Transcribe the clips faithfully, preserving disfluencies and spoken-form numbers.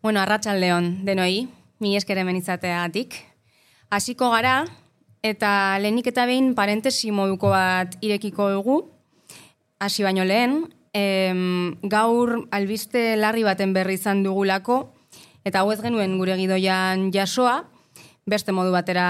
Bueno, arratsaldeon denoi, mi esker hemen izateagatik. Hasiko gara, eta lehenik eta behin parentesi moduko bat irekiko dugu. Hasi baino lehen, em, gaur albiste larri baten berri izan dugulako, eta hau ez genuen gure gidoian jasoa, beste modu batera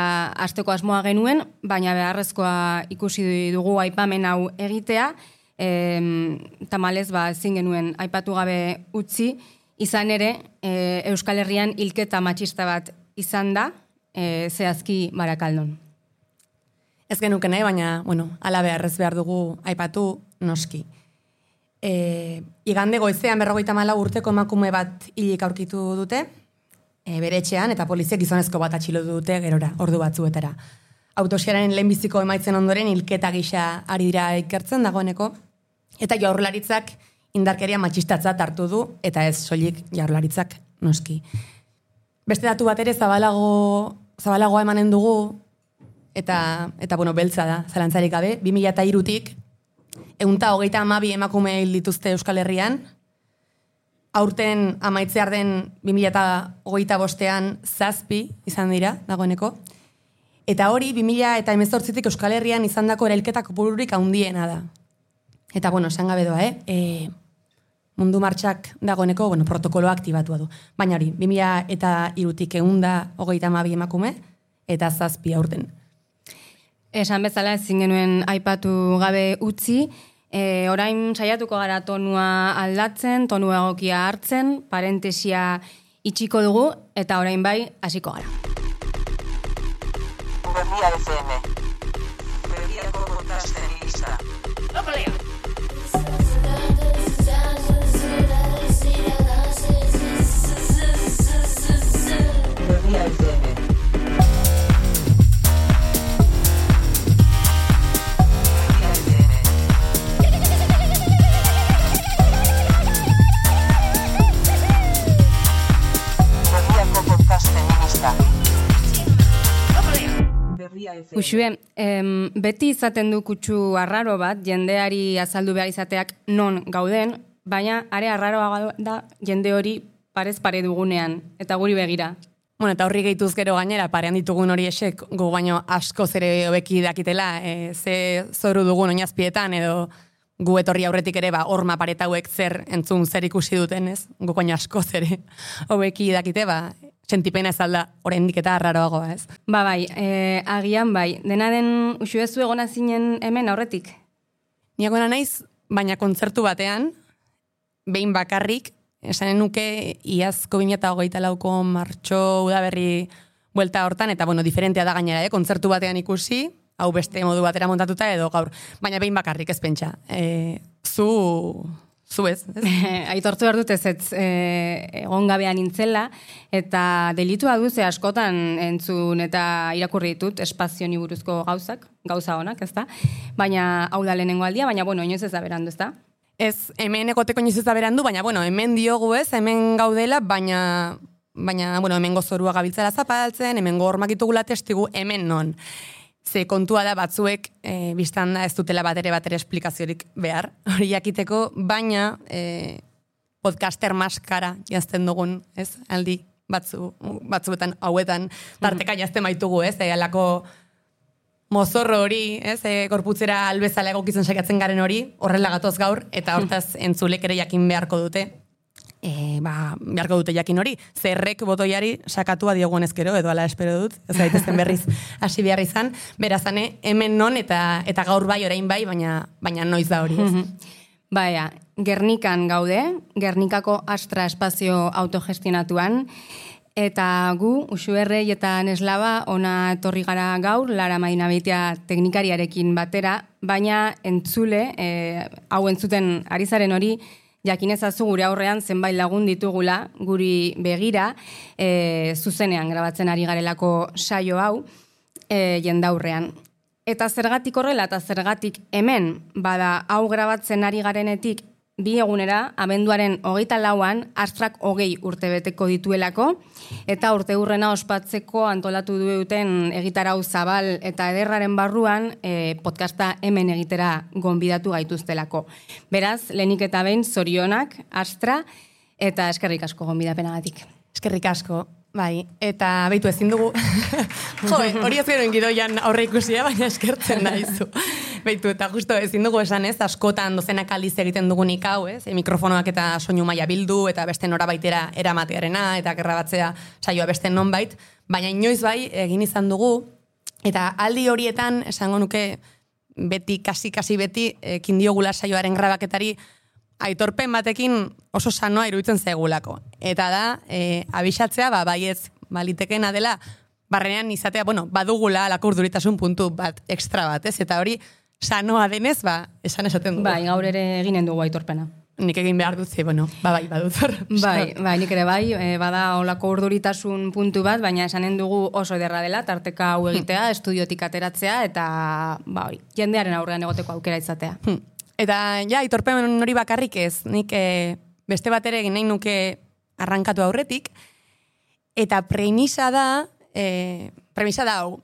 hasteko asmoa genuen, baina beharrezkoa ikusi dugu aipamen hau egitea, em, tamalez ba ezin genuen aipatu gabe utzi, izan ere, e, Euskal Herrian hilketa matxista bat izan da, e, zehazki Barakaldon. Ez genuke nahi, baina, bueno, ala beharrez behar dugu aipatu noski. E, igande goizean berrogeita hamalau urteko emakume bat hilik aurkitu dute, e, bere etxean, eta poliziak gizonezko bat atxilotu dute gerora, ordu batzuetara. Autopsiaren lehenbiziko emaitzen ondoren hilketa gisa ari dira ikertzen dagoeneko, eta Jaurlaritzak indarkeria matxistatzat hartu du, eta ez soilik Jaurlaritzak noski. Beste datu bat ere zabalago, zabalagoa emanen dugu, eta, eta bueno, beltza da, zalantzarik gabe, bi mila hirutik, ehunta hogeita hamabi emakume hil dituzte Euskal Herrian, aurten amaitzear den bi mila hogeita bostean zazpi izan dira dagoeneko, eta hori bi mila hemezortzitik Euskal Herrian izandako erailketa kopururik handiena da. Eta, bueno, esan gabe doa, eh? E, mundu martxak dagoeneko, bueno, protokoloa aktibatua du. Baina hori, bi mila hirutik ehunda hogeita hamabi emakume, eta zazpi aurten. Esan bezala ezin genuen aipatu gabe utzi, e, orain saiatuko gara tonua aldatzen, tonua egokia hartzen, parentesia itxiko dugu, eta orain bai hasiko gara. Berria F M. Berriako podcast feminista. Lopalea! Berria F M. Uxue, em, beti izaten du kutsu arraro bat, jendeari azaldu behar izateak non gauden, baina are arraroa da jende hori parez pare dugunean, eta guri begira. Bueno, eta horri gehituz gero gainera, parean ditugun hori esek, gu baino asko zere hobeki dakitela, e, ze zoru dugun oinazpietan, edo gu etorri aurretik ere, ba, horma paretauek zer entzun zer ikusi duten, ez? Gu baino asko zere hobeki dakite, ba, sentipena ez alda, oraindik eta arraroagoa, ez? Ba bai, e, agian bai, dena den uxuezu egona zinen hemen aurretik? Ni egona naiz, baina kontzertu batean, behin bakarrik, esanen nuke iazko bi mila hogeita lauko martxo udaberri buelta hortan, eta bueno, diferentea da gainera, eh? Kontzertu batean ikusi, hau beste modu batera montatuta edo gaur, baina behin bakarrik ez pentsa. E, zu... Zu ez, ez? Aitortu behar dut ez ez e, egon gabean nintzela, eta delitua duze askotan entzun eta irakurri ditut espazioni buruzko gauzak, gauza honak, ez da? Baina hau da lehenengo aldia, baina bueno, inoiz ez da berandu, ez da? Ez, hemen egoteko inoiz ez da berandu, baina bueno, hemen diogu ez, hemen gaudela, baina, baina bueno, hemen gozorua gabiltzara zapaltzen, hemen gormak ditugula testigu, hemen non. Ze kontua da batzuek, e, biztan da ez dutela batere batere esplikaziorik behar, hori jakiteko, baina e, podcaster maskara jazten dugun, ez, aldi batzu, batzuetan hauetan tarteka jazten baitugu, ez, e, alako mozorro hori, ez, e, korputzera albezala egokitzen saiatzen garen hori, horrela gatoz gaur, eta hortaz entzulek ere jakin beharko dute, E, ba, beharko dute jakin hori, zerrek botoiari sakatua diogun ezkero, edo ala espero dut, ez daitezen berriz hasi behar izan, berazane, hemen non eta eta gaur bai, orain bai, baina, baina noiz da hori, ez? Baina, Gernikan gaude, Gernikako Astra espazio autogestionatuan, eta gu, Uxuerrei eta Neslaba, ona etorri gara gaur, Lara Madina Beitia teknikariarekin batera, baina entzule, e, hau entzuten ari zaren hori, jakinezazu gure aurrean zenbait lagun ditugula, guri begira, e, zuzenean grabatzen ari garelako saio hau, e, jendaurrean. Eta zergatik horrela, eta zergatik hemen, bada hau grabatzen ari garenetik, bi egunera, abenduaren hogeita lauan, Astrak hogei urte beteko dituelako, eta urte hurrena ospatzeko antolatu duten egitarau zabal eta ederraren barruan e, podcasta hemen egitera gonbidatu gaituztelako. Beraz, lehenik eta behin zorionak, Astra, eta eskerrik asko gonbidapenagatik. Eskerrik asko, bai. Eta beitu ezin dugu... jo, hori ez gero gidoian aurre ikusia, baina eskertzen daizu. Beitu, eta justo ezin dugu esan ez, askotan dozenak aldiz egiten dugunik hau, ez? E, mikrofonoak eta soinu maila bildu, eta beste norabaitera eramatearena, eta gerrabatzea saioa beste nonbait, baina inoiz bai egin izan dugu, eta aldi horietan, esango nuke, beti, kasi-kasi beti, ekin diogula saioaren grabaketari, aitorpen batekin oso sanoa iruditzen zegulako. Eta da, e, abixatzea, ba, baiez, balitekena dela, barrenean izatea, bueno, badugula alako urduritasun puntu bat, ekstra bat, ez? Eta hori, sanoa denez, ba, esan esaten dugu. Bai, gaur ere eginen dugu aitorpena. Nik egin behar dut, bueno, ba, bai, badut hor. Bai, bai, nik ere bai, e, bada olako urduritasun puntu bat, baina esanen dugu oso ederra dela, tarteka hau egitea, estudiotik ateratzea, eta, ba, hori, jendearen aurrean egoteko aukera izatea. Eta, ja, aitorpen hori bakarrik ez, nik e, beste bat ere egin nahi nuke arrankatu aurretik, eta premisa da, e, premisa da hau,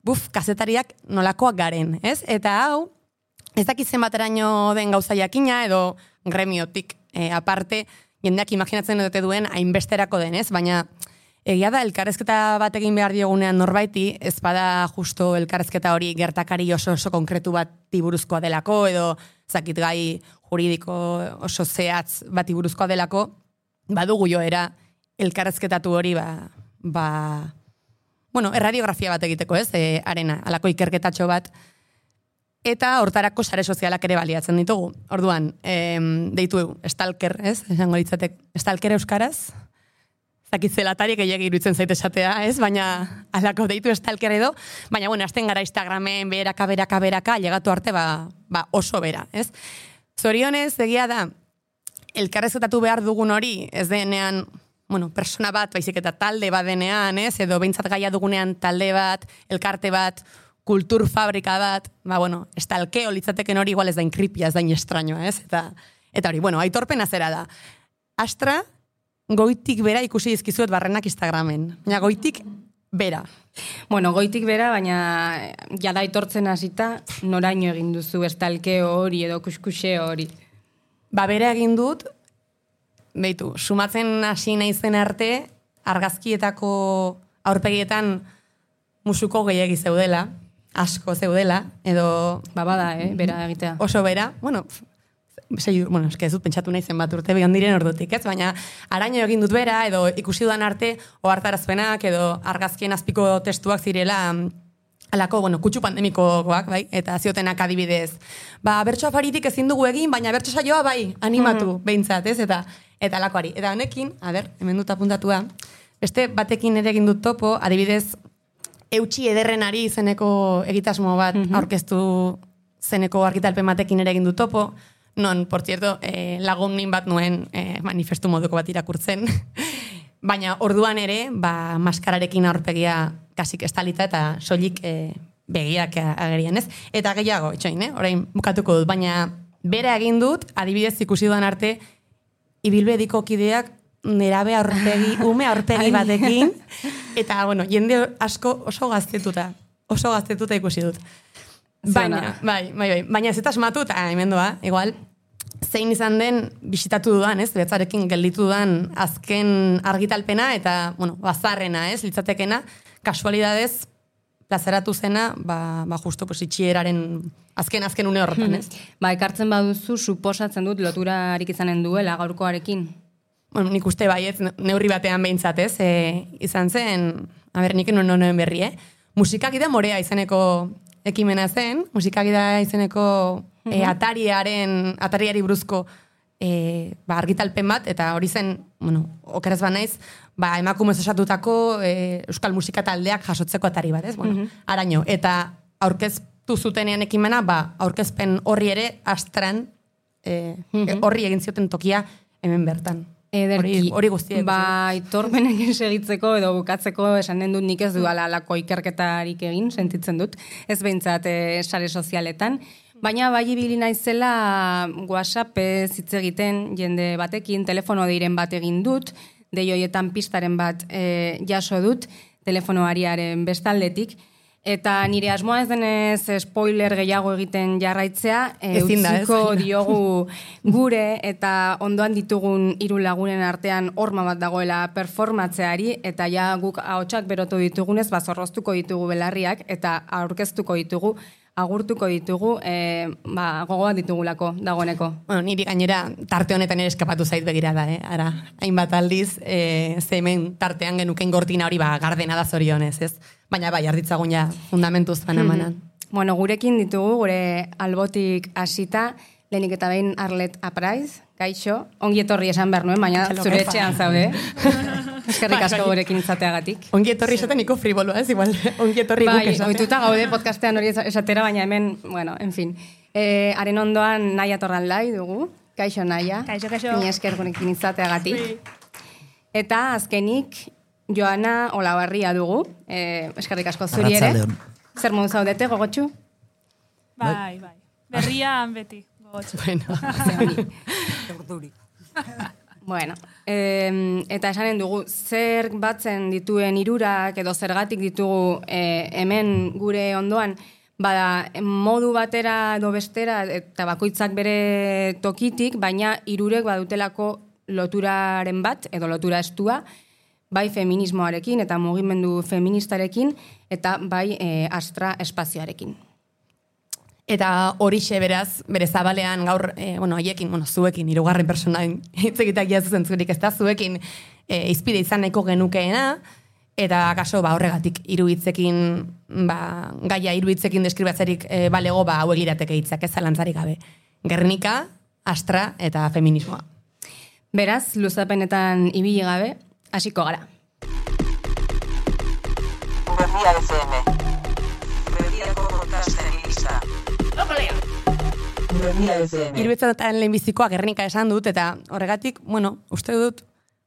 buf, kazetariak nolakoak garen, ez? Eta hau, ez dakit zenbateraino den gauza jakina, edo gremiotik e, aparte, jendeak imaginatzen dute duen hainbesterako denez, baina egia da elkarrezketa bat egin behar diogunean norbaiti, ez bada justo elkarrezketa hori gertakari oso oso konkretu bat buruzkoa delako, edo zakit gai juridiko oso zehatz bat buruzkoa delako, badugu joera elkarrezketatu hori ba, ba bueno, erradiografia bat egiteko, ez, e, arena, alako ikerketatxo bat, eta hortarako sare sozialak ere baliatzen ditugu. Orduan, em, deitu stalker, ez? Esango ditzatek, stalker euskaraz? Zakit zelatari gehiagi iruditzen zaite esatea, ez? Baina alako deitu stalker edo, baina bueno, hasten gara Instagramen beraka, beraka, beraka, llegatu arte ba, ba oso bera, ez? Zorionez, egia da, elkarrezketatu behar dugun hori, ez denean, bueno, persona bat, baizik eta talde bat denean, ez? Edo behintzat gaia dugunean talde bat, elkarte bat, kultur fabrika bat, ba, bueno, estalkeo litzateken hori igual ez da inkripia, ez da inextrañoa, ez? Eta, eta hori, bueno, aitorpena zera da. Astra, goitik bera ikusi dizkizuet barrenak Instagramen. Baina goitik bera. Bueno, goitik bera, baina jada aitortzen hasita noraino egin duzu estalkeo hori edo kuskuse hori. Ba, bera egin dut, beitu, sumatzen hasi naizen arte, argazkietako aurpegietan musuko gehiagi zeudela, asko zeudela, edo... Ba, bada, eh, bera egitea. Oso bera, bueno, sei, bueno, eske ez dut pentsatu naizen bat urte begon diren ordutik, ez? Baina araño egin dut bera, edo ikusi dudan arte, ohartarazpenak, edo argazkien azpiko testuak zirela, alako, bueno, kutsu pandemikoak, bai? Eta ziotenak adibidez. Ba, bertso afaritik ezin dugu egin, baina bertso saioa bai, animatu, mm-hmm. behintzat, ez? Eta, eta alakoari. Eta honekin, a ber, hemen dut apuntatua, beste batekin ere egin dut topo, adibidez, eutxi ederrenari izeneko egitasmo bat mm-hmm. aurkeztu zeneko argitalpen batekin ere egin dut topo, non, por cierto, eh, lagunin bat nuen eh, manifestu moduko bat irakurtzen, baina orduan ere, ba, maskararekin aurpegia kasik estalita eta soilik eh, begiak agerian, ez? Eta gehiago, itxoin, eh? Orain bukatuko dut, baina bera egin dut, adibidez ikusi dudan arte, ibilbediko kideak nerabe aurpegi, ume aurpegi batekin, eta, bueno, jende asko oso gaztetuta, oso gaztetuta ikusi dut. Baina, bai, bai, bai, baina ez eta asmatu, eta hemen doa, igual, zein izan den bisitatu dudan, ez, betzarekin gelditu dudan azken argitalpena, eta, bueno, bazarrena, ez, litzatekena, kasualidadez, plazaratu zena, ba, ba justo, pues, itxieraren azken-azken une horretan, ez? Ba, ekartzen baduzu, suposatzen dut loturarik izanen duela gaurkoarekin. Bueno, nik uste baiet, neurri batean behintzat, ez, e, izan zen, a ber, nik non noen berri, eh? Musikakida morea izeneko ekimena zen, musikakida izeneko e, atariaren, atariari buruzko e, ba, argitalpen bat, eta hori zen, bueno, okeraz ba naiz, ba, emakumez osatutako e, euskal musika taldeak jasotzeko atari bat, ez? Bueno, mm-hmm. araño, eta aurkeztu zutenean ekimena, ba, aurkezpen horri ere astran e, mm-hmm. horri egin zioten tokia hemen bertan. Ederki, hori guztiek. Ba, aitorpenek segitzeko edo bukatzeko esanen dut nik ez duala alako ikerketarik egin, sentitzen dut, ez behintzat e, sare sozialetan. Baina bai ibili naizela WhatsApp ez hitz egiten jende batekin, telefono deiren bat egin dut, dei hoietan pistaren bat e, jaso dut, telefonoariaren bestaldetik, Eta nire asmoa ez denez spoiler gehiago egiten jarraitzea, e, Ezin da, ez? utziko diogu gure eta ondoan ditugun hiru lagunen artean horma bat dagoela performatzeari, eta ja guk ahotsak berotu ditugunez, bazorroztuko ditugu belarriak, eta aurkeztuko ditugu, agurtuko ditugu, e, ba, gogoak ditugulako dagoeneko. Bueno, niri gainera tarte honetan ere eskapatu zait begirada, eh? Ara, hainbat aldiz, e, ze hemen tartean genuken gortina hori ba, gardena da zorionez, ez? Baina bai, arditzagun ja fundamentuz banamanan. Bueno, gurekin ditugu, gure albotik hasita, lehenik eta behin Arlet Apraiz, kaixo, ongi etorri esan behar nuen, baina zure etxean zaude. Eskerrik asko gurekin izateagatik. Ongi etorri esaten niko friboloa, ez? Igual, ongi etorri guk Bai, esaten. ohituta gaude podcastean hori esatera, baina hemen, bueno, en fin. E, haren ondoan Naia Torraldai dugu, kaixo Naia. Kaixo, kaixo. Ni esker gurekin izateagatik. Eta azkenik, Joana Olabarria dugu, e, eskerrik asko zuri ere. Arratsaldeon. Zer modu zaudete, gogotxu? Bai, bai. Berrian beti. Gogotxu. Bueno, Bueno, eh, eta esanen dugu, zer batzen dituen hirurak edo zergatik ditugu eh, hemen gure ondoan, bada modu batera edo bestera eta bakoitzak bere tokitik, baina hirurek badutelako loturaren bat edo lotura estua, bai feminismoarekin eta mugimendu feministarekin eta bai eh, Astra espazioarekin. eta horixe beraz, bere zabalean gaur, e, bueno, haiekin, bueno, zuekin, hirugarren personain hitz egitak jazu zentzurik, ez da, zuekin e, izpide izan nahiko genukeena, eta akaso ba, horregatik hiru hitzekin, ba, gaia hiru hitzekin deskribatzerik e, balego, ba, hauek irateke hitzak, ez zalantzarik gabe. Gernika, Astra eta feminismoa. Beraz, luzapenetan ibili gabe, hasiko gara. Berria F M. Berriako podcasten lista. Berria F M. Iruetzatan lehenbizikoa Gernika esan dut, eta horregatik, bueno, uste dut,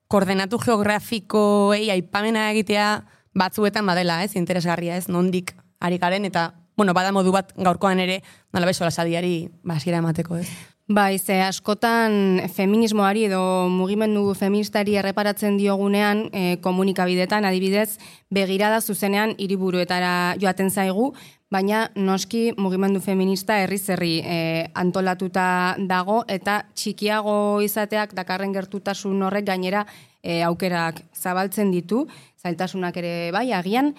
koordenatu geografikoei aipamena egitea batzuetan badela, ez, interesgarria, ez, nondik ari garen, eta, bueno, bada modu bat gaurkoan ere, nola beso lasadiari basiera emateko, ez. Bai, ze askotan feminismoari edo mugimendu feministari erreparatzen diogunean e, komunikabidetan adibidez begirada zuzenean hiriburuetara joaten zaigu, baina noski mugimendu feminista herriz herri e, antolatuta dago eta txikiago izateak dakarren gertutasun horrek gainera e, aukerak zabaltzen ditu, zailtasunak ere bai agian.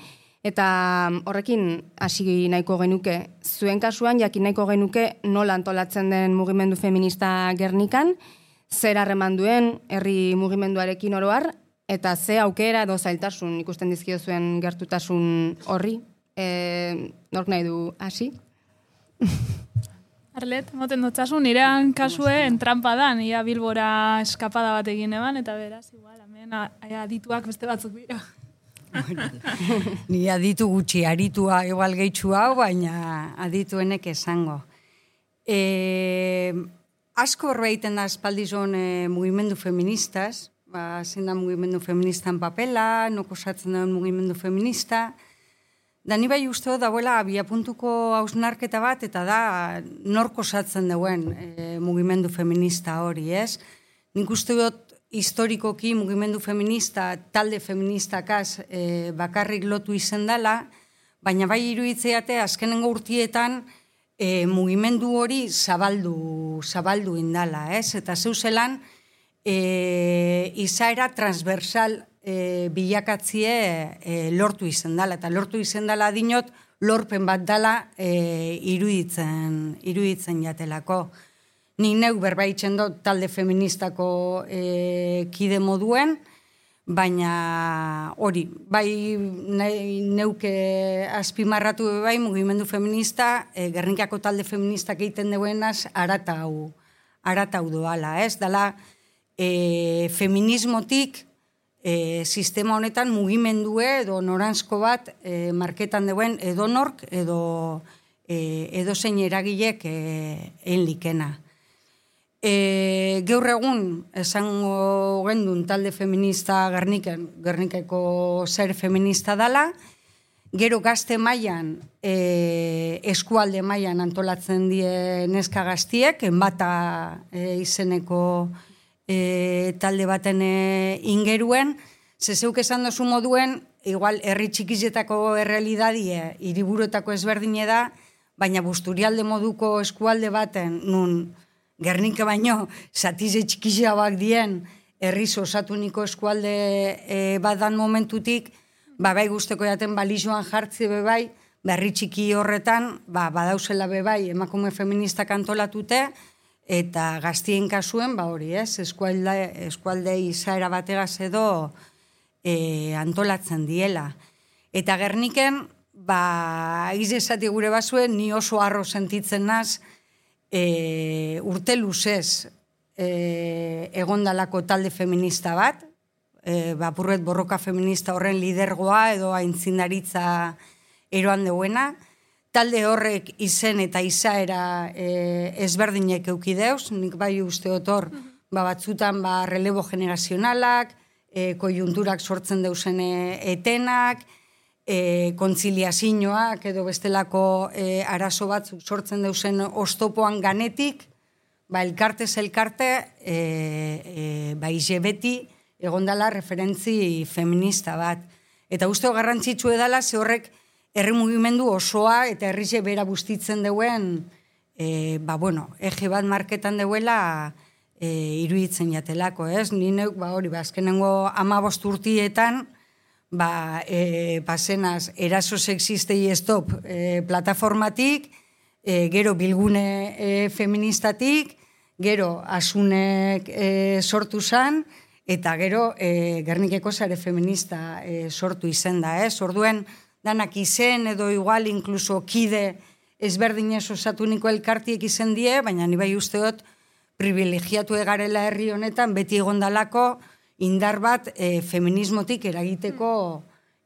Eta horrekin hasi nahiko genuke, zuen kasuan jakin nahiko genuke nola antolatzen den mugimendu feminista Gernikan, zer harreman duen herri mugimenduarekin oro har, eta ze aukera edo zailtasun ikusten dizkio zuen gertutasun horri. E, nork nahi du hasi? Arlet, moten dutxasun, nirean kasuen trampa da, nire Bilbora eskapada bat egin eban, eta beraz, igual, hemen a- adituak beste batzuk dira. Ni aditu gutxi, aritua igual gehitxu hau, baina adituenek esango. E, asko horreiten da espaldizon e, mugimendu feministaz, ba, zein da mugimendu feministan papela, noko osatzen da mugimendu feminista, da ni bai uste dut dagoela abiapuntuko hausnarketa bat, eta da nork osatzen duen e, mugimendu feminista hori, ez? Nik uste dut historikoki mugimendu feminista, talde feministakaz e, bakarrik lotu izen dela, baina bai iruditzeate azkenengo urtietan e, mugimendu hori zabaldu, zabaldu indala, ez? Eta zeuzelan e, izaera transversal e, bilakatzie e, lortu izen dela, eta lortu izen dela dinot lorpen bat dela e, iruditzen, iruditzen jatelako. Ni neu berbaitzen dut talde feministako e, kide moduen, baina hori, bai nahi, neuke azpimarratu bai mugimendu feminista, e, Gernikako talde feministak egiten duenaz aratau, aratau doala, ez? Dala e, feminismotik e, sistema honetan mugimendue edo noranzko bat e, marketan duen edonork edo, e, edo zein eragilek e, enlikena. E, gaur egun esango gendun talde feminista Gerniken, Gernikeko zer feminista dala, gero gazte mailan, e, eskualde mailan antolatzen die neska gaztiek, enbata e, izeneko e, talde baten e, ingeruen, zezeuk esan dozu moduen, igual, herri txikizetako errealidadie, hiriburuetako ezberdine da, baina Busturialde moduko eskualde baten, nun Gernike baino, zatize txikizeabak dien, herriz osatuniko eskualde e, badan momentutik, ba, bai guzteko jaten balizoan jartzi bebai, berri txiki horretan, ba, badauzela bebai, emakume feministak antolatute, eta gaztien kasuen, ba hori ez, eskualde, eskualde izaera bategaz edo e, antolatzen diela. Eta Gerniken, ba, izesati gure bazuen, ni oso harro sentitzen naz, e, urte luzez e, egondalako talde feminista bat, e, bapurret borroka feminista horren lidergoa edo aintzindaritza eroan deuena, talde horrek izen eta izaera e, ezberdinek eukideuz, nik bai uste otor, ba, batzutan ba, relebo generazionalak, e, kojunturak sortzen deusen etenak, e, kontziliazioak edo bestelako e, arazo batzuk sortzen deusen oztopoan ganetik, ba, elkartez elkarte, e, e, ba, ize beti egondala referentzi feminista bat. Eta uste garrantzitsu edala, ze horrek herri mugimendu osoa eta herrize bera bustitzen deuen, e, ba, bueno, ege bat marketan deuela e, iruditzen jatelako, ez? Ni neuk, ba, hori, ba, azkenengo amabost urtietan, ba, e, pasenaz, eraso sexistei stop e, plataformatik, e, gero bilgune e, feministatik, gero asunek e, sortu zan, eta gero e, Gernikeko sare feminista e, sortu izen da, ez? Orduen, danak izen edo igual inkluso kide ezberdinez osatuniko elkartiek izen die, baina ni bai usteot privilegiatu egarela herri honetan beti egondalako indar bat e, feminismotik eragiteko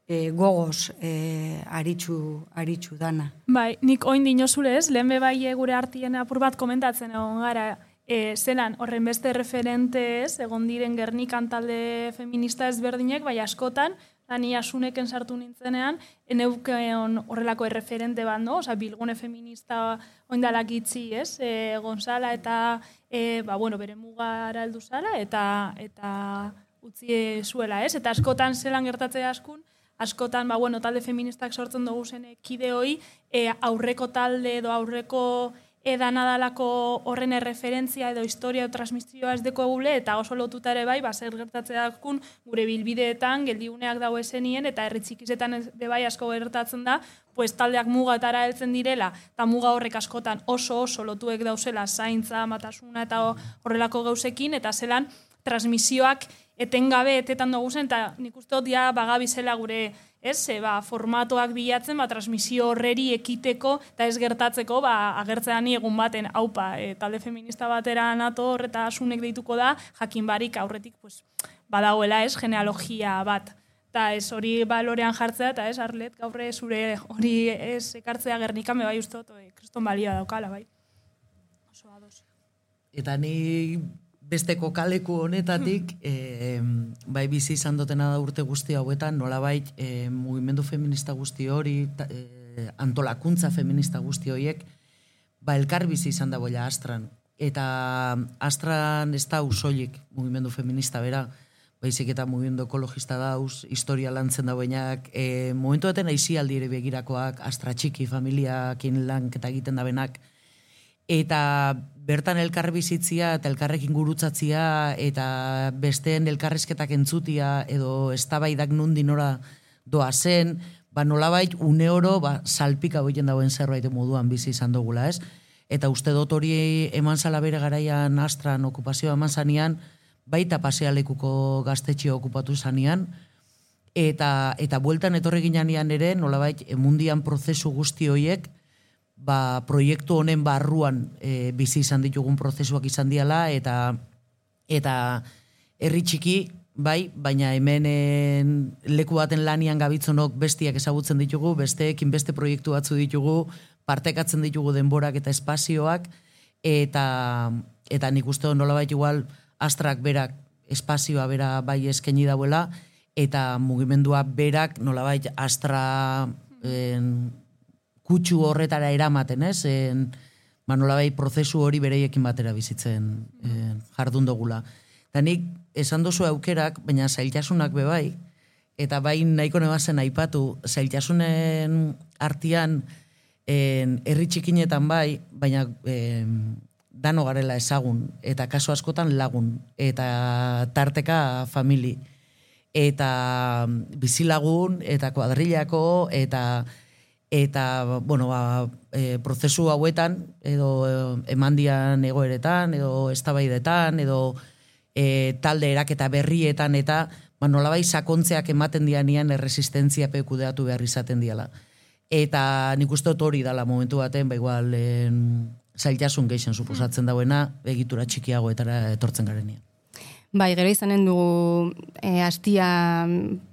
e, gogoz e, aritxu, aritxu dana. Bai, nik oin dinozule ez, lehen bebai gure artien apur bat komentatzen egon gara, e, zelan horren beste referente ez, egon diren Gernikan talde feminista ezberdinek, bai askotan, ni asuneken sartu nintzenean, eneukeon horrelako erreferente bat, no? Osa, bilgune feminista oindalak itzi, ez? E, Gonzala eta, e, ba, bueno, bere mugara heldu zala, eta, eta utzi zuela, ez? Eta askotan zelan gertatzea askun, askotan, ba, bueno, talde feministak sortzen dugu zen kide hoi, e, aurreko talde edo aurreko edan adalako horren erreferentzia edo historia o transmisioa ez deko gule, eta oso lotuta ere bai, ba, zer gertatzea dakun, gure bilbideetan, geldiuneak dago esenien, eta herri txikizetan de bai asko gertatzen da, pues taldeak mugatara heltzen direla, eta muga horrek askotan oso oso lotuek dauzela zaintza, matasuna eta horrelako gauzekin, eta zelan transmisioak etengabe etetan dugu zen, eta nik uste dut ja bagabizela gure, ez, e, ba, formatoak bilatzen, ba, transmisio horreri ekiteko, eta ez gertatzeko, ba, agertzean egun baten, haupa, e, talde feminista batera nator eta asunek deituko da, jakin barik aurretik, pues, badagoela, ez, genealogia bat. Eta ez hori balorean jartzea, eta ez, Arlet, gaurre zure hori ez ekartzea Gernikan, me bai uste dut, e, kriston balioa daukala, bai. Oso ados. Eta ni besteko kaleku honetatik, e, bai bizi izan dutena da urte guzti hauetan, nolabait e, mugimendu feminista guzti hori, ta, e, antolakuntza feminista guzti horiek, ba elkar bizi izan da boila Astran. Eta Astran ez da usoiek mugimendu feminista bera, baizik eta mugimendu ekologista dauz, historia lantzen da boinak, e, momentu eten aizialdi ere begirakoak, Astra txiki familiakin lanketa egiten da benak, eta bertan elkar bizitzia eta elkarrekin gurutzatzia eta besteen elkarrizketak entzutia edo eztabaidak nundi nora doa zen, ba nolabait une oro ba, salpika boiten dagoen zerbait moduan bizi izan dugula, ez? Eta uste dut hori eman zala bere garaian Astran okupazioa eman zanean, baita pasealekuko gaztetxe okupatu zanean, eta, eta bueltan etorri ginean ere, nolabait mundian prozesu guzti horiek, ba, proiektu honen barruan e, bizi izan ditugun prozesuak izan diala, eta eta herri txiki, bai, baina hemen leku baten lanian gabitzonok bestiak ezagutzen ditugu, besteekin beste proiektu batzu ditugu, partekatzen ditugu denborak eta espazioak, eta, eta nik uste nolabait igual Astrak berak espazioa bera bai eskaini dauela, eta mugimendua berak nolabait Astra en, kutsu horretara eramaten, ez? En, ba, nolabait prozesu hori bereiekin batera bizitzen en, jardun dugula. Eta nik esan dozu aukerak, baina zailtasunak bebai, eta bain nahiko nebazen aipatu, zailtasunen artian en, herri txikinetan bai, baina en, dano garela ezagun, eta kaso askotan lagun, eta tarteka famili, eta bizilagun, eta kuadrillako, eta eta, bueno, ba, e, prozesu hauetan, edo emandian egoeretan, edo eztabaidetan, edo e, talde eraketa berrietan, eta ba, nolabai sakontzeak ematen dianean erresistentzia pekudeatu behar izaten diala. Eta nik uste dut hori dala momentu baten, ba igual, en, zailtasun geixen suposatzen dauena, egitura txikiagoetara etortzen garenean. Bai, gero izanen dugu e, astia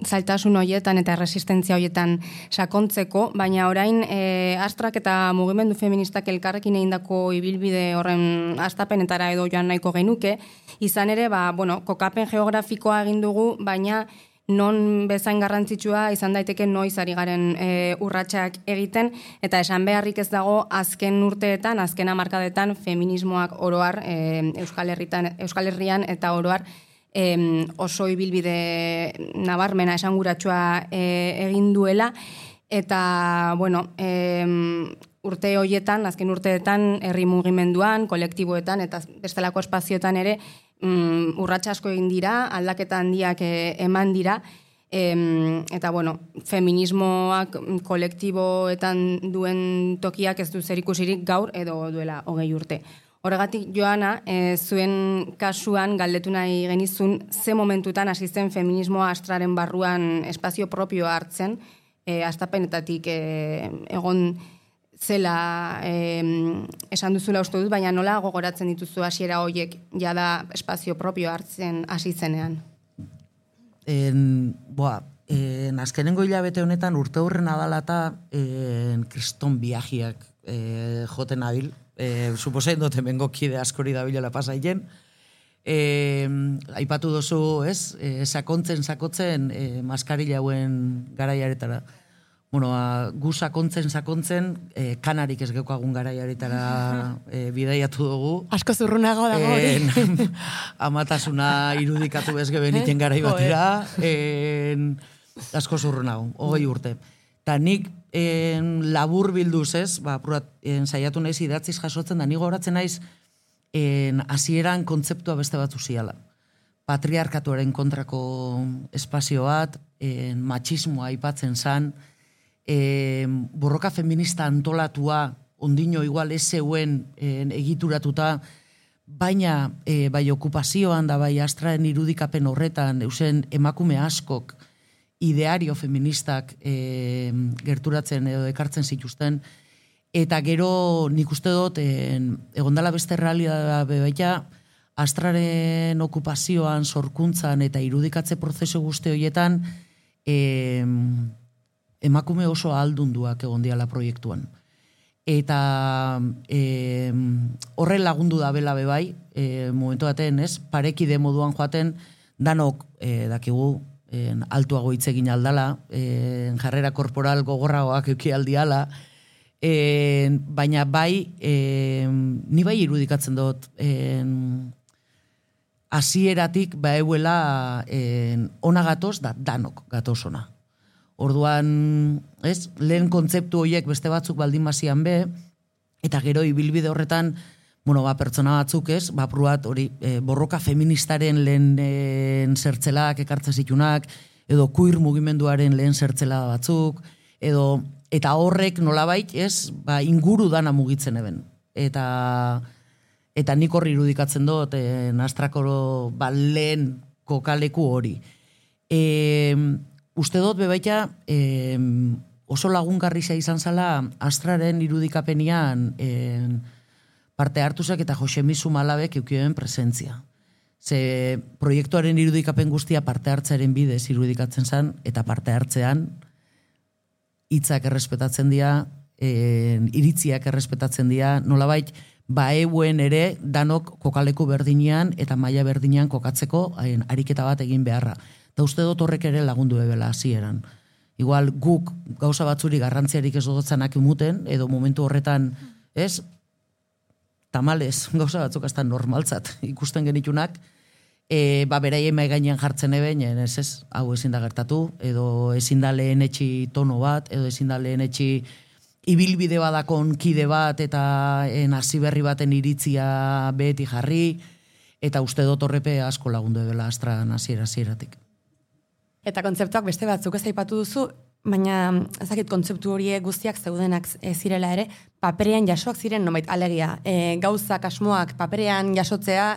zailtasun horietan eta resistentzia horietan sakontzeko, baina orain e, Astrak eta mugimendu feministak elkarrekin egindako ibilbide horren astapenetara edo joan nahiko genuke, izan ere, ba, bueno, kokapen geografikoa egin dugu, baina non bezain garrantzitsua izan daiteke noiz ari garen e, urratsak egiten, eta esan beharrik ez dago azken urteetan, azken hamarkadetan feminismoak oroar e, Euskal Herritan, Euskal Herrian eta oroar e, oso ibilbide nabarmena esanguratsua e, egin duela, eta bueno, e, urte hoietan, azken urteetan herri mugimenduan, kolektiboetan eta bestelako espazioetan ere Mm, urratsa asko egin dira, aldaketa handiak e, eman dira, e, eta bueno, feminismoak kolektiboetan duen tokiak ez du zerikusirik gaur edo duela hogei urte. Horregatik, Joana, e, zuen kasuan galdetu nahi genizun ze momentutan hasi zen feminismoa Astraren barruan espazio propioa hartzen, e, astapenetatik e, egon zela eh, esan duzula uste dut, baina nola gogoratzen dituzu hasiera hoiek jada espazio propio hartzen hasi zenean? En, boa, en, azkenengo hilabete honetan urte hurren adalata en, kriston biajiak eh, joten abil. Eh, suposain dut hemengo kide askori dabilela pasaien. Eh, aipatu dozu, ez? Eh, sakontzen, sakotzen eh, maskarila hauen garaiaretara. Bueno, a, gu sakontzen, sakontzen, eh, kanarik ez geukagun garaiaretara eh, bidaiatu dugu. Asko zurrunago dago hori. Eh, amatasuna irudikatu bezge beniten garai batera. Eh, asko zurrunago, hogei urte. Ta nik eh, labur bilduz ez, ba, pruat, eh, saiatu naiz idatziz jasotzen, da nigo horatzen naiz eh, hasieran kontzeptua beste batzu ziala. Patriarkatuaren kontrako espazio bat, eh, matxismoa aipatzen zan, E, borroka feminista antolatua, ondino igual ez zeuen e, egituratuta, baina e, bai okupazioan da bai Astraren irudikapen horretan, eusen emakume askok ideario feministak e, gerturatzen edo ekartzen zituzten, eta gero nik uste dut, e, egondala beste realidadea bebaita, Astraren okupazioan, sorkuntzan eta irudikatze prozesu guzti horietan, e, emakume oso aldunduak egon diala proiektuan. Eta e, horren lagundu da bela bebai, e, momentu baten, ez, parekide moduan joaten, danok e, dakigu, e, altuago hitz egin aldala, e, jarrera korporal gogorragoak euki aldiala, e, baina bai, e, ni bai irudikatzen dut, e, hasieratik ba euela e, ona gatoz, da danok gatoz ona. Orduan, ez, lehen kontzeptu horiek beste batzuk baldin bazian be, eta gero ibilbide horretan, bueno, ba, pertsona batzuk ez, ba, pruat hori e, borroka feministaren lehen zertzelak ekartzen zitunak, edo queer mugimenduaren lehen zertzela batzuk, edo, eta horrek nolabait, ez, ba, inguru dana mugitzen eben. Eta, eta nik horri irudikatzen dut, e, Astrakoro ba, lehen kokaleku hori. E, Uste dut bebaita eh, oso lagungarria izan zala Astraren irudikapenian eh, parte hartuzak eta Josemizu Malabek eukioen presentzia. Ze proiektuaren irudikapen guztia parte hartzearen bidez irudikatzen zen, eta parte hartzean hitzak errespetatzen dira, eh, iritziak errespetatzen dira, nolabait baeuen ere danok kokaleku berdinean eta maila berdinean kokatzeko eh, ariketa bat egin beharra. Eta uste dut horrek ere lagundu ebela hasieran. Igual guk gauza batzuri garrantziarik ez dutzanak imuten, edo momentu horretan, ez, tamales, gauza batzuk hasta normaltzat ikusten genitunak, e, ba, beraien mai gainean jartzen eben, ez ez, hau ezin da gertatu, edo ezin da lehen etxi tono bat, edo ezin da lehen etxi ibilbide badakon kide bat, eta en hasi berri baten iritzia beti jarri, eta uste dut horrepe asko lagundu ebela Astran hasiera hasieratik. Eta kontzeptuak beste batzuk ez aipatu duzu, baina ezakit kontzeptu horiek guztiak zeudenak e, zirela ere, paperean jasoak ziren nomait alegia. E, gauzak, asmoak paperean jasotzea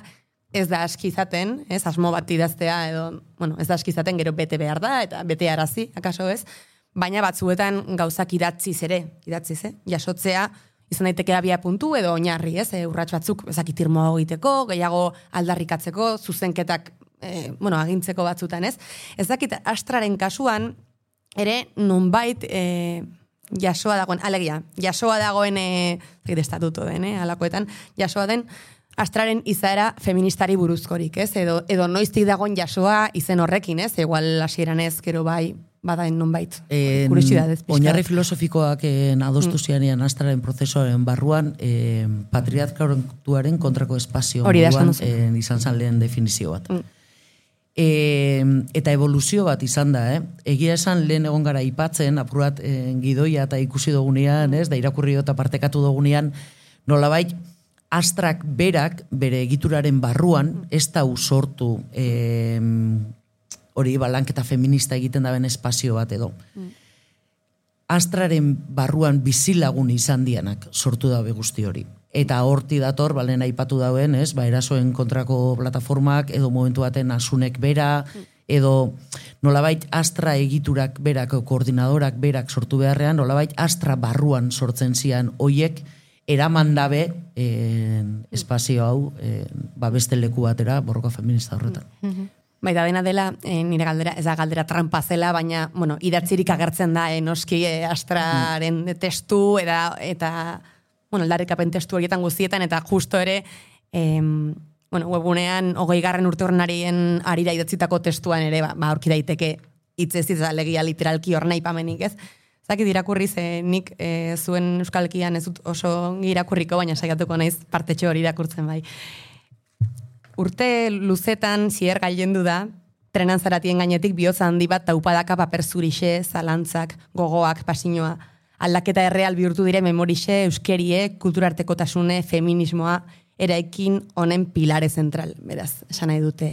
ez da aski izaten, ez asmo bat idaztea edo, bueno, ez da aski izaten gero bete behar da eta bete arazi, akaso ez, baina batzuetan gauzak idatziz ere, idatziz, eh? Jasotzea izan daiteke abia puntu edo oinarri, ez? E, urrats batzuk ezakit irmoa egiteko, gehiago aldarrikatzeko, zuzenketak e, bueno, agintzeko batzutan, ez? Ez dakit Astraren kasuan ere nonbait e, jasoa dagoen, alegia, jasoa dagoen e, estatuto den, eh, alakoetan, jasoa den Astraren izaera feministari buruzkorik, ez? Edo, edo noiztik dagoen jasoa izen horrekin, ez? Igual hasieran ez, gero bai, badaen nonbait. Kuriosidadez pixka. Oinarri filosofikoak en adostu zianean Astraren prozesuaren barruan, eh, patriarkatuaren kontrako espazio moduan eh, izan zan lehen definizio bat. Mm. E, eta evoluzio bat izan da, eh? Egia esan lehen egon gara ipatzen, apurat eh, gidoia eta ikusi dugunean, ez? Da irakurri eta partekatu dugunean, nolabait, Astrak berak, bere egituraren barruan, ez da usortu eh, hori balanketa feminista egiten daben espazio bat edo. Mm. Astraren barruan bizilagun izan dianak sortu dabe guzti hori. Eta horti dator, balen aipatu dauen, ez, ba, erasoen kontrako plataformak, edo momentu baten asunek bera, edo nolabait Astra egiturak berak, koordinadorak berak sortu beharrean, nolabait Astra barruan sortzen zian hoiek, eraman dabe en, espazio hau en, ba beste leku batera borroka feminista horretan. Mm-hmm. Bai, da dena dela, eh, nire galdera, ez da galdera trampa zela, baina, bueno, idatzirik agertzen da, eh, noski eh, Astraren mm. testu, eta, eta bueno, aldarrikapen testu horietan guztietan, eta justo ere, eh, bueno, webunean, hogei garren urte horrenarien arira idatzitako testuan ere, ba, ba aurki daiteke hitzez hitz alegia literalki hor nahi pamenik, ez? Zakit irakurri ze nik e, zuen euskalkian ez dut oso irakurriko, baina saiatuko naiz partetxo hori irakurtzen bai. Urte luzetan zier gailendu da, trenan zaratien gainetik bihotza handi bat taupadaka paper zurixe, zalantzak, gogoak, pasinoa, aldaketa erreal bihurtu dire memorixe, euskerie, kulturartekotasune, feminismoa, eraikin honen pilare zentral. Beraz, esan nahi dute,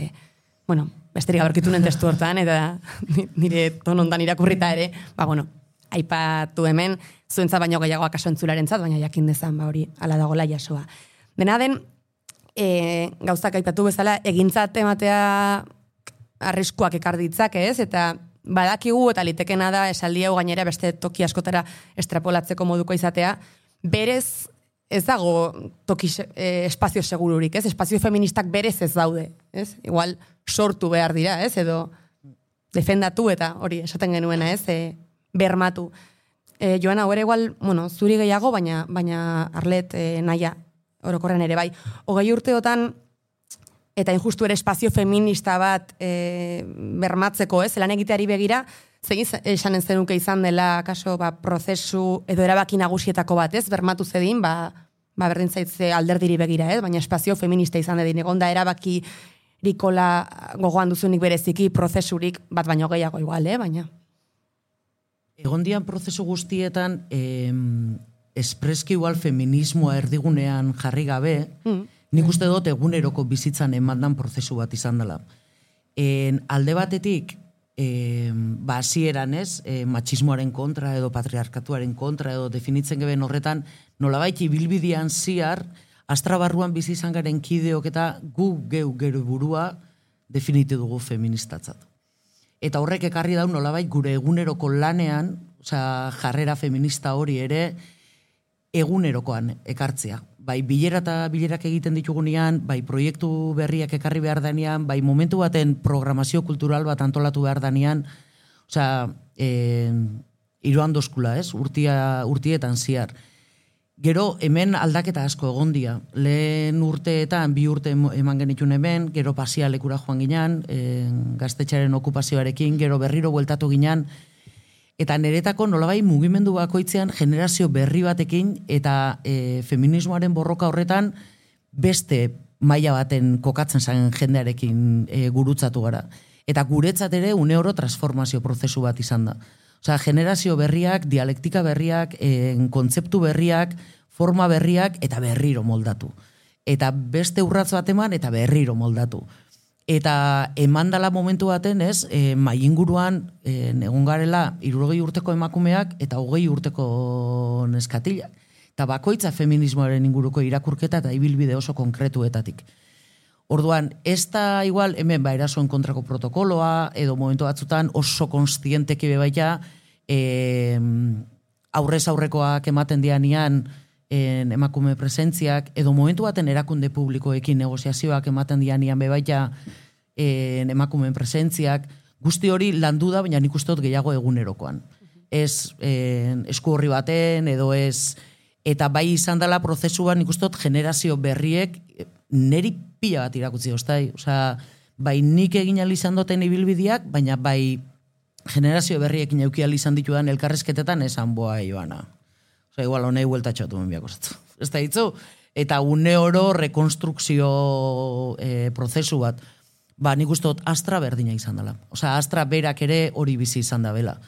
bueno, besterik aberkitu nen testu hortan, eta nire tonondan irakurrita ere, ba, bueno, aipatu hemen, zuentza baino gehiago akaso entzularentzat, baina jakin dezan, ba hori, ala dagola jasoa. Dena den, e, gauzak aipatu bezala, egintzat ematea arriskuak ekar ditzake, ez? Eta badakigu eta litekena da esaldi hau gainera beste toki askotara estrapolatzeko moduko izatea, berez ez dago toki e, espazio segururik, ez? Espazio feministak berez ez daude, ez? Igual sortu behar dira, ez? Edo defendatu eta hori esaten genuena, ez? E, bermatu. E, Joana, hori igual, bueno, zuri gehiago, baina, baina arlet e, naia, orokorren ere bai. Hogei urteotan, eta injustu ere espazio feminista bat e, bermatzeko, ez, lan egiteari begira, zegin esanen zenuke izan dela, kaso, ba, prozesu edo erabaki nagusietako bat, ez, bermatu zedin, ba, ba berdin zaitze alderdiri begira, ez, baina espazio feminista izan dedin, egon da erabaki rikola gogoan duzunik bereziki, prozesurik bat baino gehiago igual, eh, baina... Egon dian prozesu guztietan, eh, espreski igual feminismoa erdigunean jarri gabe, mm. nik uste dut eguneroko bizitzan emandan prozesu bat izan dela. En, alde batetik, eh, ba, hasieran ez, eh, matxismoaren kontra edo patriarkatuaren kontra edo definitzen geben horretan, nolabait ibilbidean ziar, Astra barruan bizi izan garen kideok eta gu geu gero burua definitu dugu feministatzat. Eta horrek ekarri daun nolabait gure eguneroko lanean, osea, jarrera feminista hori ere egunerokoan ekartzea. Bai bilera eta bilerak egiten ditugunean, bai proiektu berriak ekarri behar danean, bai momentu baten programazio kultural bat antolatu behar danean, osea, eh, iruan dozkula, ez? Urtia, urtietan ziar. Gero hemen aldaketa asko egon dia. Lehen urteetan, bi urte eman genitun hemen, gero pasialekura joan ginean, e, gaztetxaren okupazioarekin, gero berriro bueltatu ginean, eta niretako nolabai mugimendu bakoitzean generazio berri batekin, eta e, feminismoaren borroka horretan beste maila baten kokatzen zen jendearekin e, gurutzatu gara. Eta guretzat ere une oro transformazio prozesu bat izan da. Osea, generazio berriak, dialektika berriak, e, kontzeptu berriak, forma berriak eta berriro moldatu. Eta beste urratz bat eman eta berriro moldatu. Eta emandala momentu baten, ez, e, mainguruan e, egon garela hirurogei urteko emakumeak eta hogei urteko neskatilak. Eta bakoitza feminismoaren inguruko irakurketa eta ibilbide oso konkretuetatik. Orduan, ez da igual hemen ba erasoen kontrako protokoloa, edo momentu batzutan oso konstienteki bebaita e, aurrez aurrekoak ematen dianian en, emakume presentziak, edo momentu baten erakunde publikoekin negoziazioak ematen dianian bebaita en, emakumeen presentziak, guzti hori landu da, baina nik uste dut gehiago egunerokoan. Ez en, esku horri baten, edo ez, eta bai izan dela prozesuan nik uste dut generazio berriek neri pila bat irakutzi oztai. Osea, bai nik egin izan duten ibilbideak, baina bai generazio berriekin euki izan ditudan elkarrezketetan esan boa joana. Osea, igual honei huelta txotu menbiako zatu. Ez da hitzu? Eta une oro rekonstrukzio e, prozesu bat. Ba, nik uste dut Astra berdina izan dela. Osea, Astra berak ere hori bizi izan da bela.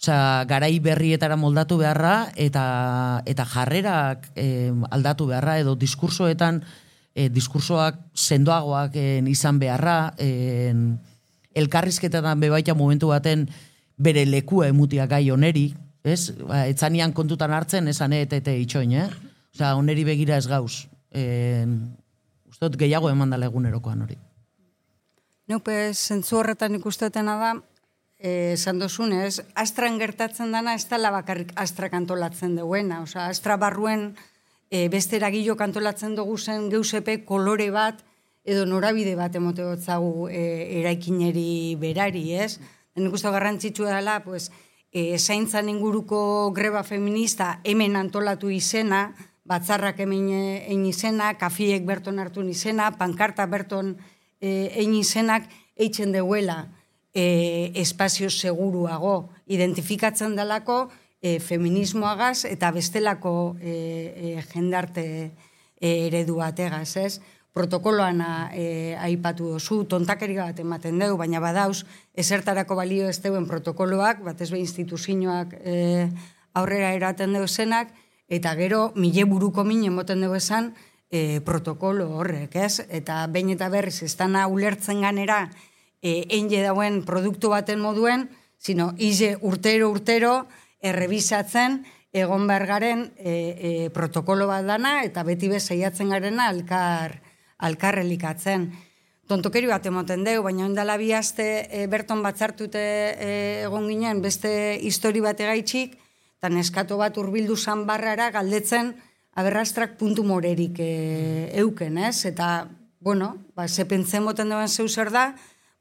Osea, garai berrietara moldatu beharra eta, eta jarrerak e, aldatu beharra edo diskursoetan E, diskursoak sendoagoak en, izan beharra, en, elkarrizketetan bebaita momentu baten bere lekua emutia gai oneri, ez? Ba, etzanian kontutan hartzen, esan etete itxoin, eh? Osea, oneri begira ez gauz. En, ustot gehiago emandala egunerokoan hori. Neupe, zentzu horretan ikustotena da, esan dozunez, Astran gertatzen dana ez dela bakarrik Astra kantolatzen duena. Osea, Astra barruen E, beste eragilo kantolatzen dugu zen geusepe kolore bat edo norabide bat emote gotzagu e, eraikineri berari, ez? Nik uste garrantzitsua dela, pues, e, zaintzan inguruko greba feminista hemen antolatu izena, batzarrak hemen egin izena, kafiek berton hartu izena, pankarta berton e, egin izenak, eitzen deuela e, espazio seguruago, identifikatzen delako, E, feminismoagaz eta bestelako e, e, jendarte e, eredu bategaz, ez? Protokoloan e, aipatu dozu, tontakeri bat ematen dugu, baina badauz, ezertarako balio ez deuen protokoloak, batez be instituzioak e, aurrera eraten dugu zenak, eta gero mile buruko min emoten dugu esan e, protokolo horrek, ez? Eta behin eta berriz, ez dana ulertzen ganera e, enge dauen produktu baten moduen, sino ize urtero urtero, errebisatzen egon behar garen e, e, protokolo bat dana eta beti bezaiatzen garena alkar, alkarrelikatzen. Tontokeri bat emoten dugu, baina ondala bi aste e, berton batzartute e, egon ginen beste histori bat egaitxik, eta neskato bat hurbildu zan barrara galdetzen aberrastrak puntu morerik e, euken, ez? Eta, bueno, ba, ze pentzen moten duen zeu zer da,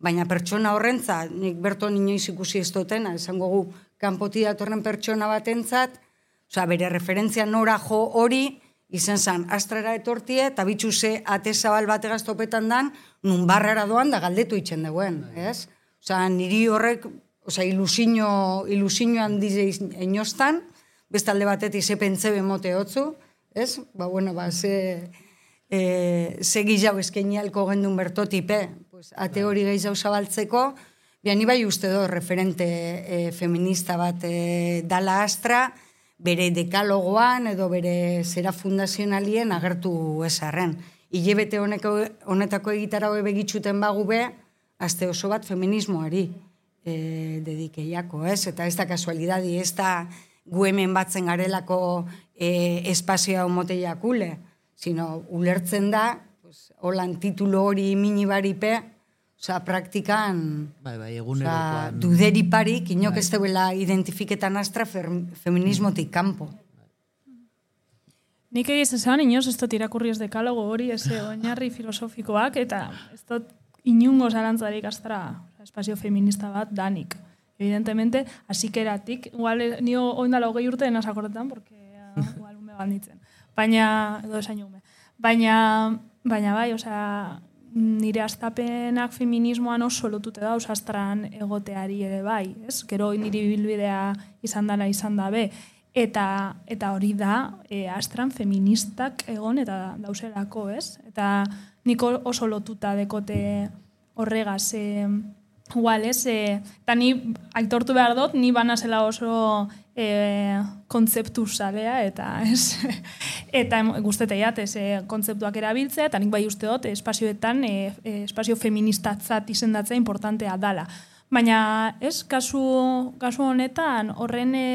baina pertsona horrentza, nik berton inoiz ikusi ez dutena, esango gu, kanpoti datorren pertsona batentzat, osea, bere referentzia nora jo hori, izen zan, Astrara etortie, eta bitxu ze ate zabal bat egaztopetan dan, nun barrara doan da galdetu itxen duen, ez? Osea, niri horrek, osea, ilusino, ilusino handize inostan, bestalde batetik ze pentze bemote hotzu, ez? Ba, bueno, ba, ze, e, ze gizau eskenialko gendun bertotipe, pues, ate hori gehiago zabaltzeko, Bian, ni bai uste do, referente e, feminista bat e, dala Astra, bere dekalogoan edo bere zera fundazionalien agertu esarren. Ilebete honetako egitara hoe begitxuten bagu be, aste oso bat feminismoari e, dedikeiako, ez? Eta ez da kasualidadi, ez da gu hemen batzen garelako e, espazioa omoteiakule, sino ulertzen da, pues, holan titulo hori minibaripe, Osa, praktikan, bai, bai, egunerokoan, duderi parik, inok ez deuela identifiketan Astra feminismotik kanpo. Nik egiz esan, inoz ez dut irakurri ez dekalogo hori, ez oinarri filosofikoak, eta ez dut inungo zarantzarik Astra espazio feminista bat danik. Evidentemente, asikeratik, igual, nio oindala hogei urte denaz akordetan, porque igual ume galditzen. Baina, edo esain ume. Baina, baina bai, osea, nire astapenak feminismoan oso lotute da, Astran egoteari ere bai, ez? Gero niri bilbidea izan dela izan dabe, eta, eta hori da, e, Astran feministak egon eta dauzelako, ez? Eta niko oso lotuta dekote horregaz, e, igual, ez? E, eta ni aitortu behar dut, ni banazela oso e, kontzeptu zalea, eta ez, eta guzteteiat, ez, e, kontzeptuak erabiltzea, eta nik bai uste dut, espazioetan, e, e, espazio feministatzat izendatzea importantea dala. Baina, ez, kasu, kasu honetan, horren, e,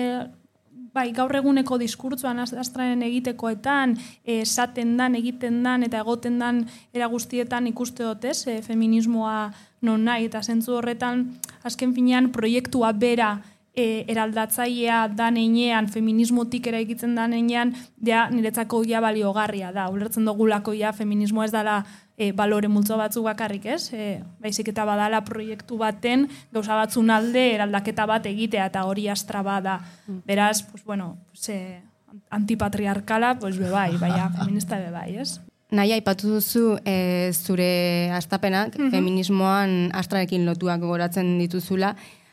bai, gaur eguneko diskurtzuan astraren egitekoetan, esaten dan, egiten dan, eta egoten dan era guztietan ikuste dut, ez, e, feminismoa non nahi, eta zentzu horretan, azken finean, proiektua bera e, eraldatzailea dan einean, feminismotik eraikitzen dan einean, ja, niretzako ja baliogarria da. Ulertzen dugulako ja, feminismoa ez dela e, balore multzo batzuk bakarrik, ez? E, baizik eta badala proiektu baten, gauza batzun alde eraldaketa bat egitea, eta hori astra bada. Beraz, pues, bueno, pues, e, antipatriarkala, pues, bebai, baina feminista bebai, ez? Nahi, aipatu duzu e, zure astapenak, mm-hmm. feminismoan astrarekin lotuak gogoratzen dituzula.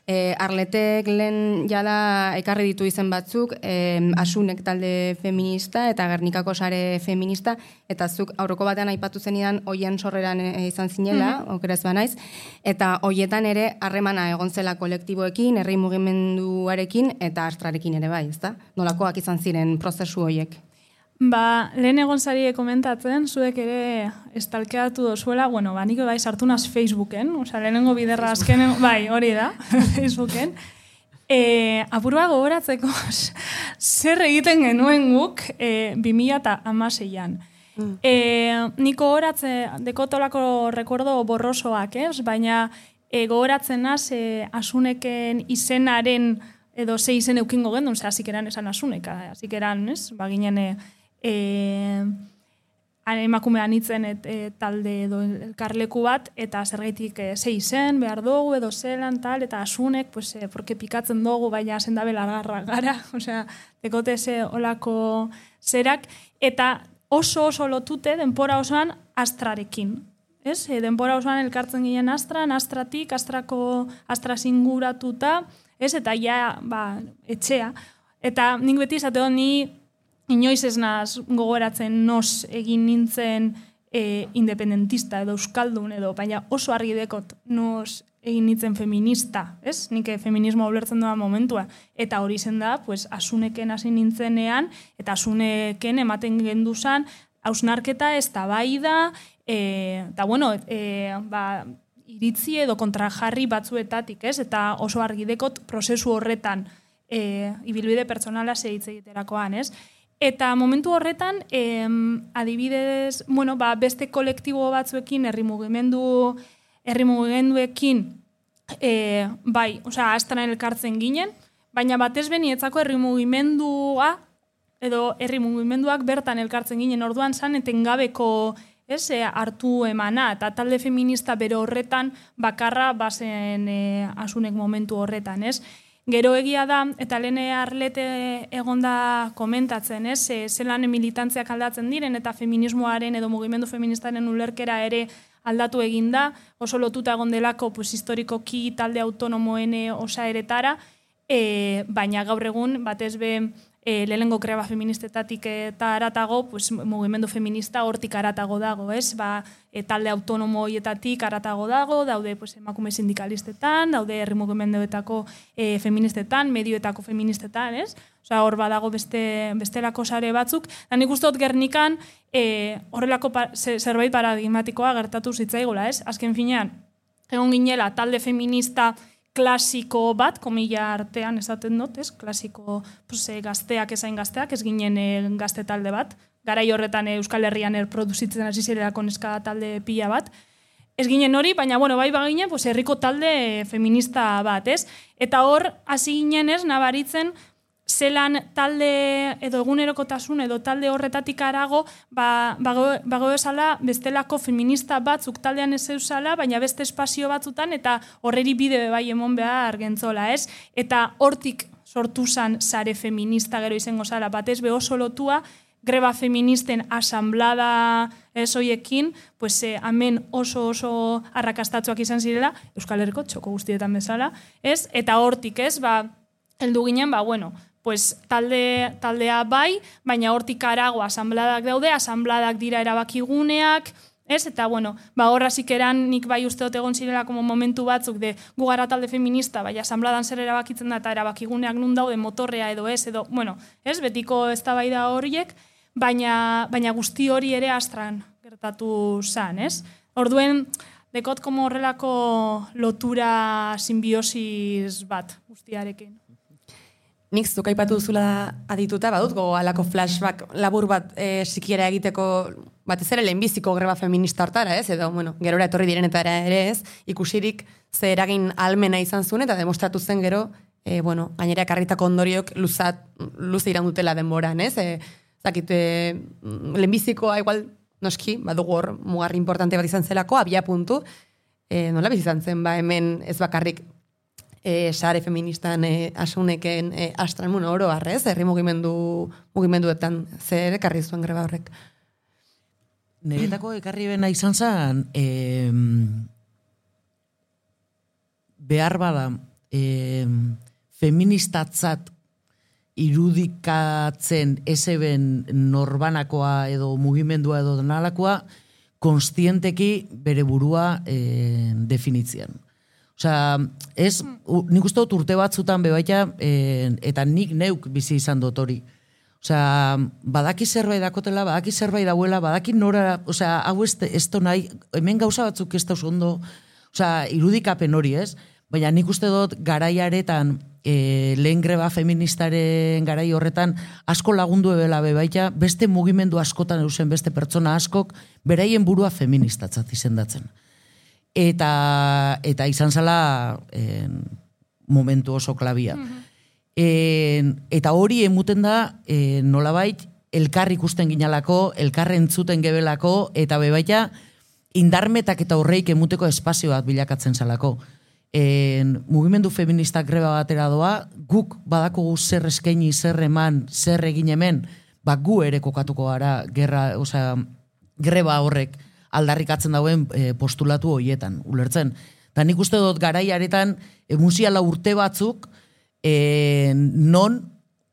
E, Arletek lehen jada ekarri ditu izen batzuk, e, Asunek talde feminista eta Gernikako sare feminista, eta zuk aurroko batean aipatu zenidan hoien sorreran e, izan zinela, mm-hmm. okerez banaiz, eta hoietan ere harremana egon zela kolektiboekin, herri mugimenduarekin eta astrarekin ere bai, ezta? Nolakoak izan ziren prozesu hoiek? Ba, lehen egon zari komentatzen, zuek ere estalkeatu dozuela, bueno, ba, nik bai sartu naz Facebooken, oza, lehenengo biderra azkenen, bai, hori da, Facebooken. E, apurua gogoratzeko, zer egiten genuen guk e, bi mila hamaseian. Mm. E, niko gogoratze, dekotolako rekordo borrosoak, ez? Baina e, gogoratzen naz, e, Asuneken izenaren, edo ze izen eukingo gendun, ze hasikeran esan Asuneka, hasikeran, ez? Ba, ginen, e, E, emakumean itzen et, et, talde edo elkarleku bat, eta zergaitik e, ze izen, behar dugu, edo zelan, tal, eta Asunek, pues, e, porque pikatzen dugu, baina zendabe largarra gara, osea, dekote ze olako zerak, eta oso oso lotute denpora osoan astrarekin. Ez? E, denpora osoan elkartzen ginen astran, astratik, astrako astra singuratuta, ez? Eta ja, ba, etxea. Eta nik beti izateo ni inoiz ez naz gogoratzen nos egin nintzen e, independentista edo euskaldun edo, baina oso argi dekot nos egin nintzen feminista, ez? Nik feminismoa ulertzen doa momentua. Eta hori zen da, pues, Asuneken hasi nintzenean, eta Asuneken ematen genduzan, hausnarketa ez da bai da, e, eta bueno, e, ba, iritzi edo kontrajarri batzuetatik, ez? Eta oso argi dekot prozesu horretan e, ibilbide pertsonala zehitze egiterakoan, ez? Eta momentu horretan, em, adibidez, bueno, ba, beste kolektibo batzuekin, herri mugimendu, herri mugimenduekin, e, bai, osea, astran elkartzen ginen, baina batez benietzako herri mugimendua, edo herri mugimenduak bertan elkartzen ginen, orduan zan etengabeko, ez, e, hartu emana, eta talde feminista bere horretan bakarra bazen e, Asunek momentu horretan, ez? Gero egia da, eta lehene Arlete egonda komentatzen, ez? Zelan militantziak aldatzen diren, eta feminismoaren edo mugimendu feministaren ulerkera ere aldatu eginda, oso lotuta egon delako, pues, historikoki talde autonomoen osaeretara, e, baina gaur egun, batez be, e, lehenengo greba feministetatik eta aratago, pues, mugimendu feminista hortik aratago dago, ez? Ba, e, talde autonomo hoietatik aratago dago, daude, pues, emakume sindikalistetan, daude herri mugimenduetako e, feministetan, medioetako feministetan, ez? Osea, hor badago beste, bestelako sare batzuk. Da nik uste dut Gernikan e, horrelako pa, zerbait paradigmatikoa gertatu zitzaigula, ez? Azken finean, egon ginela talde feminista klasiko bat, komila artean esaten dut, ez? Klasiko, pues, gazteak ezain gazteak, ez ginen e, gazte talde bat. Garai horretan e, Euskal Herrian erproduzitzen hasi zirelako neska talde pila bat. Ez ginen hori, baina, bueno, bai baginen, pues, herriko talde feminista bat, ez? Eta hor, hasi ginen ez, nabaritzen, zelan talde edo egunerokotasun edo talde horretatik arago, ba, bago esala bestelako feminista batzuk taldean ez eusala, baina beste espazio batzutan eta horreri bide bai emon behar gentzola, ez? Eta hortik sortu zan sare feminista gero izango zala, batez be oso lotua, greba feministen asamblada ez hoiekin, pues, eh, hemen oso oso arrakastatzuak izan zirela, Euskal Herriko txoko guztietan bezala, ez? Eta hortik, ez? Ba, heldu ginen, ba, bueno, pues, talde, taldea bai, baina hortik arago asambladak daude, asambladak dira erabakiguneak, Ez? Eta, bueno, ba, horra zikeran nik bai usteot egon zirela como momentu batzuk de gu gara talde feminista, bai, asambladan zer erabakitzen da eta erabakiguneak nun daude motorrea edo ez, edo, bueno, ez, betiko eztabaida horiek, baina, baina guzti hori ere astran gertatu zan, ez? Orduen, dekot como horrelako lotura simbiosis bat guztiarekin. Nik zuk aipatu duzula adituta, badut gogo alako flashback labur bat e, sikiera egiteko batez ere lehenbiziko greba feminista hortara, ez? Edo, bueno, gerora etorri direnetara ere ez, ikusirik ze eragin almena izan zuen eta demostratu zen gero, e, bueno, gainera ekarritako ondoriok luzat, luze iran dutela denboran, ez? E, zakit, e, lehenbizikoa igual noski, badugu hor mugarri importante bat izan zelako, abia puntu, e, nola biz izan zen, ba, hemen ez bakarrik E, sare feministan e, asuneken e, astran, bueno, oro harrez, herri mugimendu, mugimenduetan zer ekarri zuen greba horrek. Niretako ekarri bena izan zen, e, behar bada, e, feministatzat irudikatzen ezeben norbanakoa edo mugimendua edo denalakoa, konstienteki bere burua e, definitzean. Osea, ez, nik uste dut urte batzutan bebaita, e, eta nik neuk bizi izan dut hori. Osea, badaki zerbait dakotela, badaki zerbait dauela, badaki nora, osea, hau ez, ez nahi, hemen gauza batzuk ez dauz ondo, osea, irudikapen hori, ez? Baina nik uste dut garaiaretan, e, lehen greba feministaren garai horretan, asko lagundu ebela bebaita, beste mugimendu askotan eusen beste pertsona askok, beraien burua feministatzat izendatzen. Eta, eta izan zela en, momentu oso klabia. Mm-hmm. En, eta hori emuten da, en, nolabait, elkar ikusten ginalako, elkar entzuten gebelako, eta bebaita indarmetak eta horreik emuteko espazio bat bilakatzen zalako. En, mugimendu feministak greba batera doa, guk badakugu zer eskaini, zer eman, zer egin hemen, ba gu ere kokatuko gara gerra, osea, greba horrek aldarrikatzen dauen e, postulatu horietan, ulertzen. Eta nik uste dut garaiaretan e, musiala urte batzuk e, non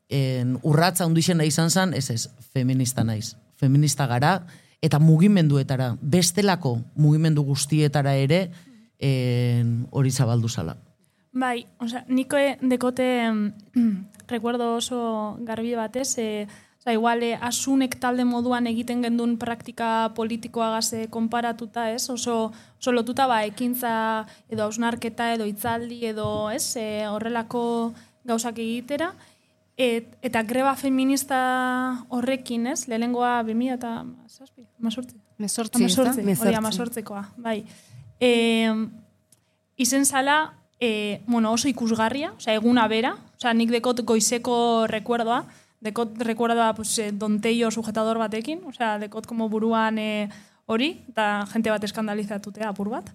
e, urratza hundixena izan zen, ez ez, feminista naiz. Feminista gara, eta mugimenduetara, bestelako mugimendu guztietara ere e, hori zabaldu zala. Bai, osea, niko dekote recuerdo oso garbi batez, e, Osa, igual, eh, asunek talde moduan egiten gendun praktika politikoagaz eh, konparatuta, ez? Oso, oso lotuta ba, ekintza edo hausnarketa edo hitzaldi edo, ez? Eh, horrelako gauzak egitera. Et, eta greba feminista horrekin, ez? Lehenengoa bi mila eta zazpi, amazortzi. Mezortzi, Hori, amazortzikoa, bai. E, izen zala, e, bueno, oso ikusgarria, oza, eguna bera, oza, nik dekot goizeko rekuerdoa, dekot recuerda pues, eh, donteio sujetador batekin, o sea, dekot como buruan eh, hori, eta jente bat eskandalizatutea apur bat.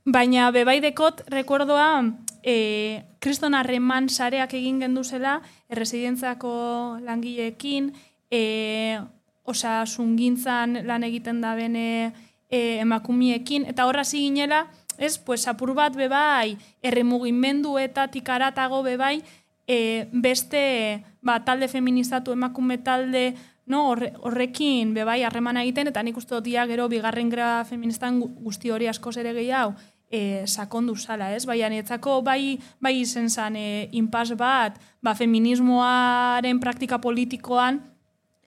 Baina bebai dekot recuerdoa eh, kriston harreman sareak egin genduzela erresidentzako langileekin, eh, osea, sungintzan lan egiten da bene eh, emakumiekin, eta horra zinela, ez, pues, apur bat bebai, erremugimenduetatik aratago bebai, E, beste ba, talde feministatu emakume talde no, horre, horrekin bebai harremana egiten, eta nik uste dut gero bigarren greba feministan guzti hori askoz ere gehiago e, sakondu zala, ez? Baina nietzako bai, bai izen zan e, inpas bat, ba, feminismoaren praktika politikoan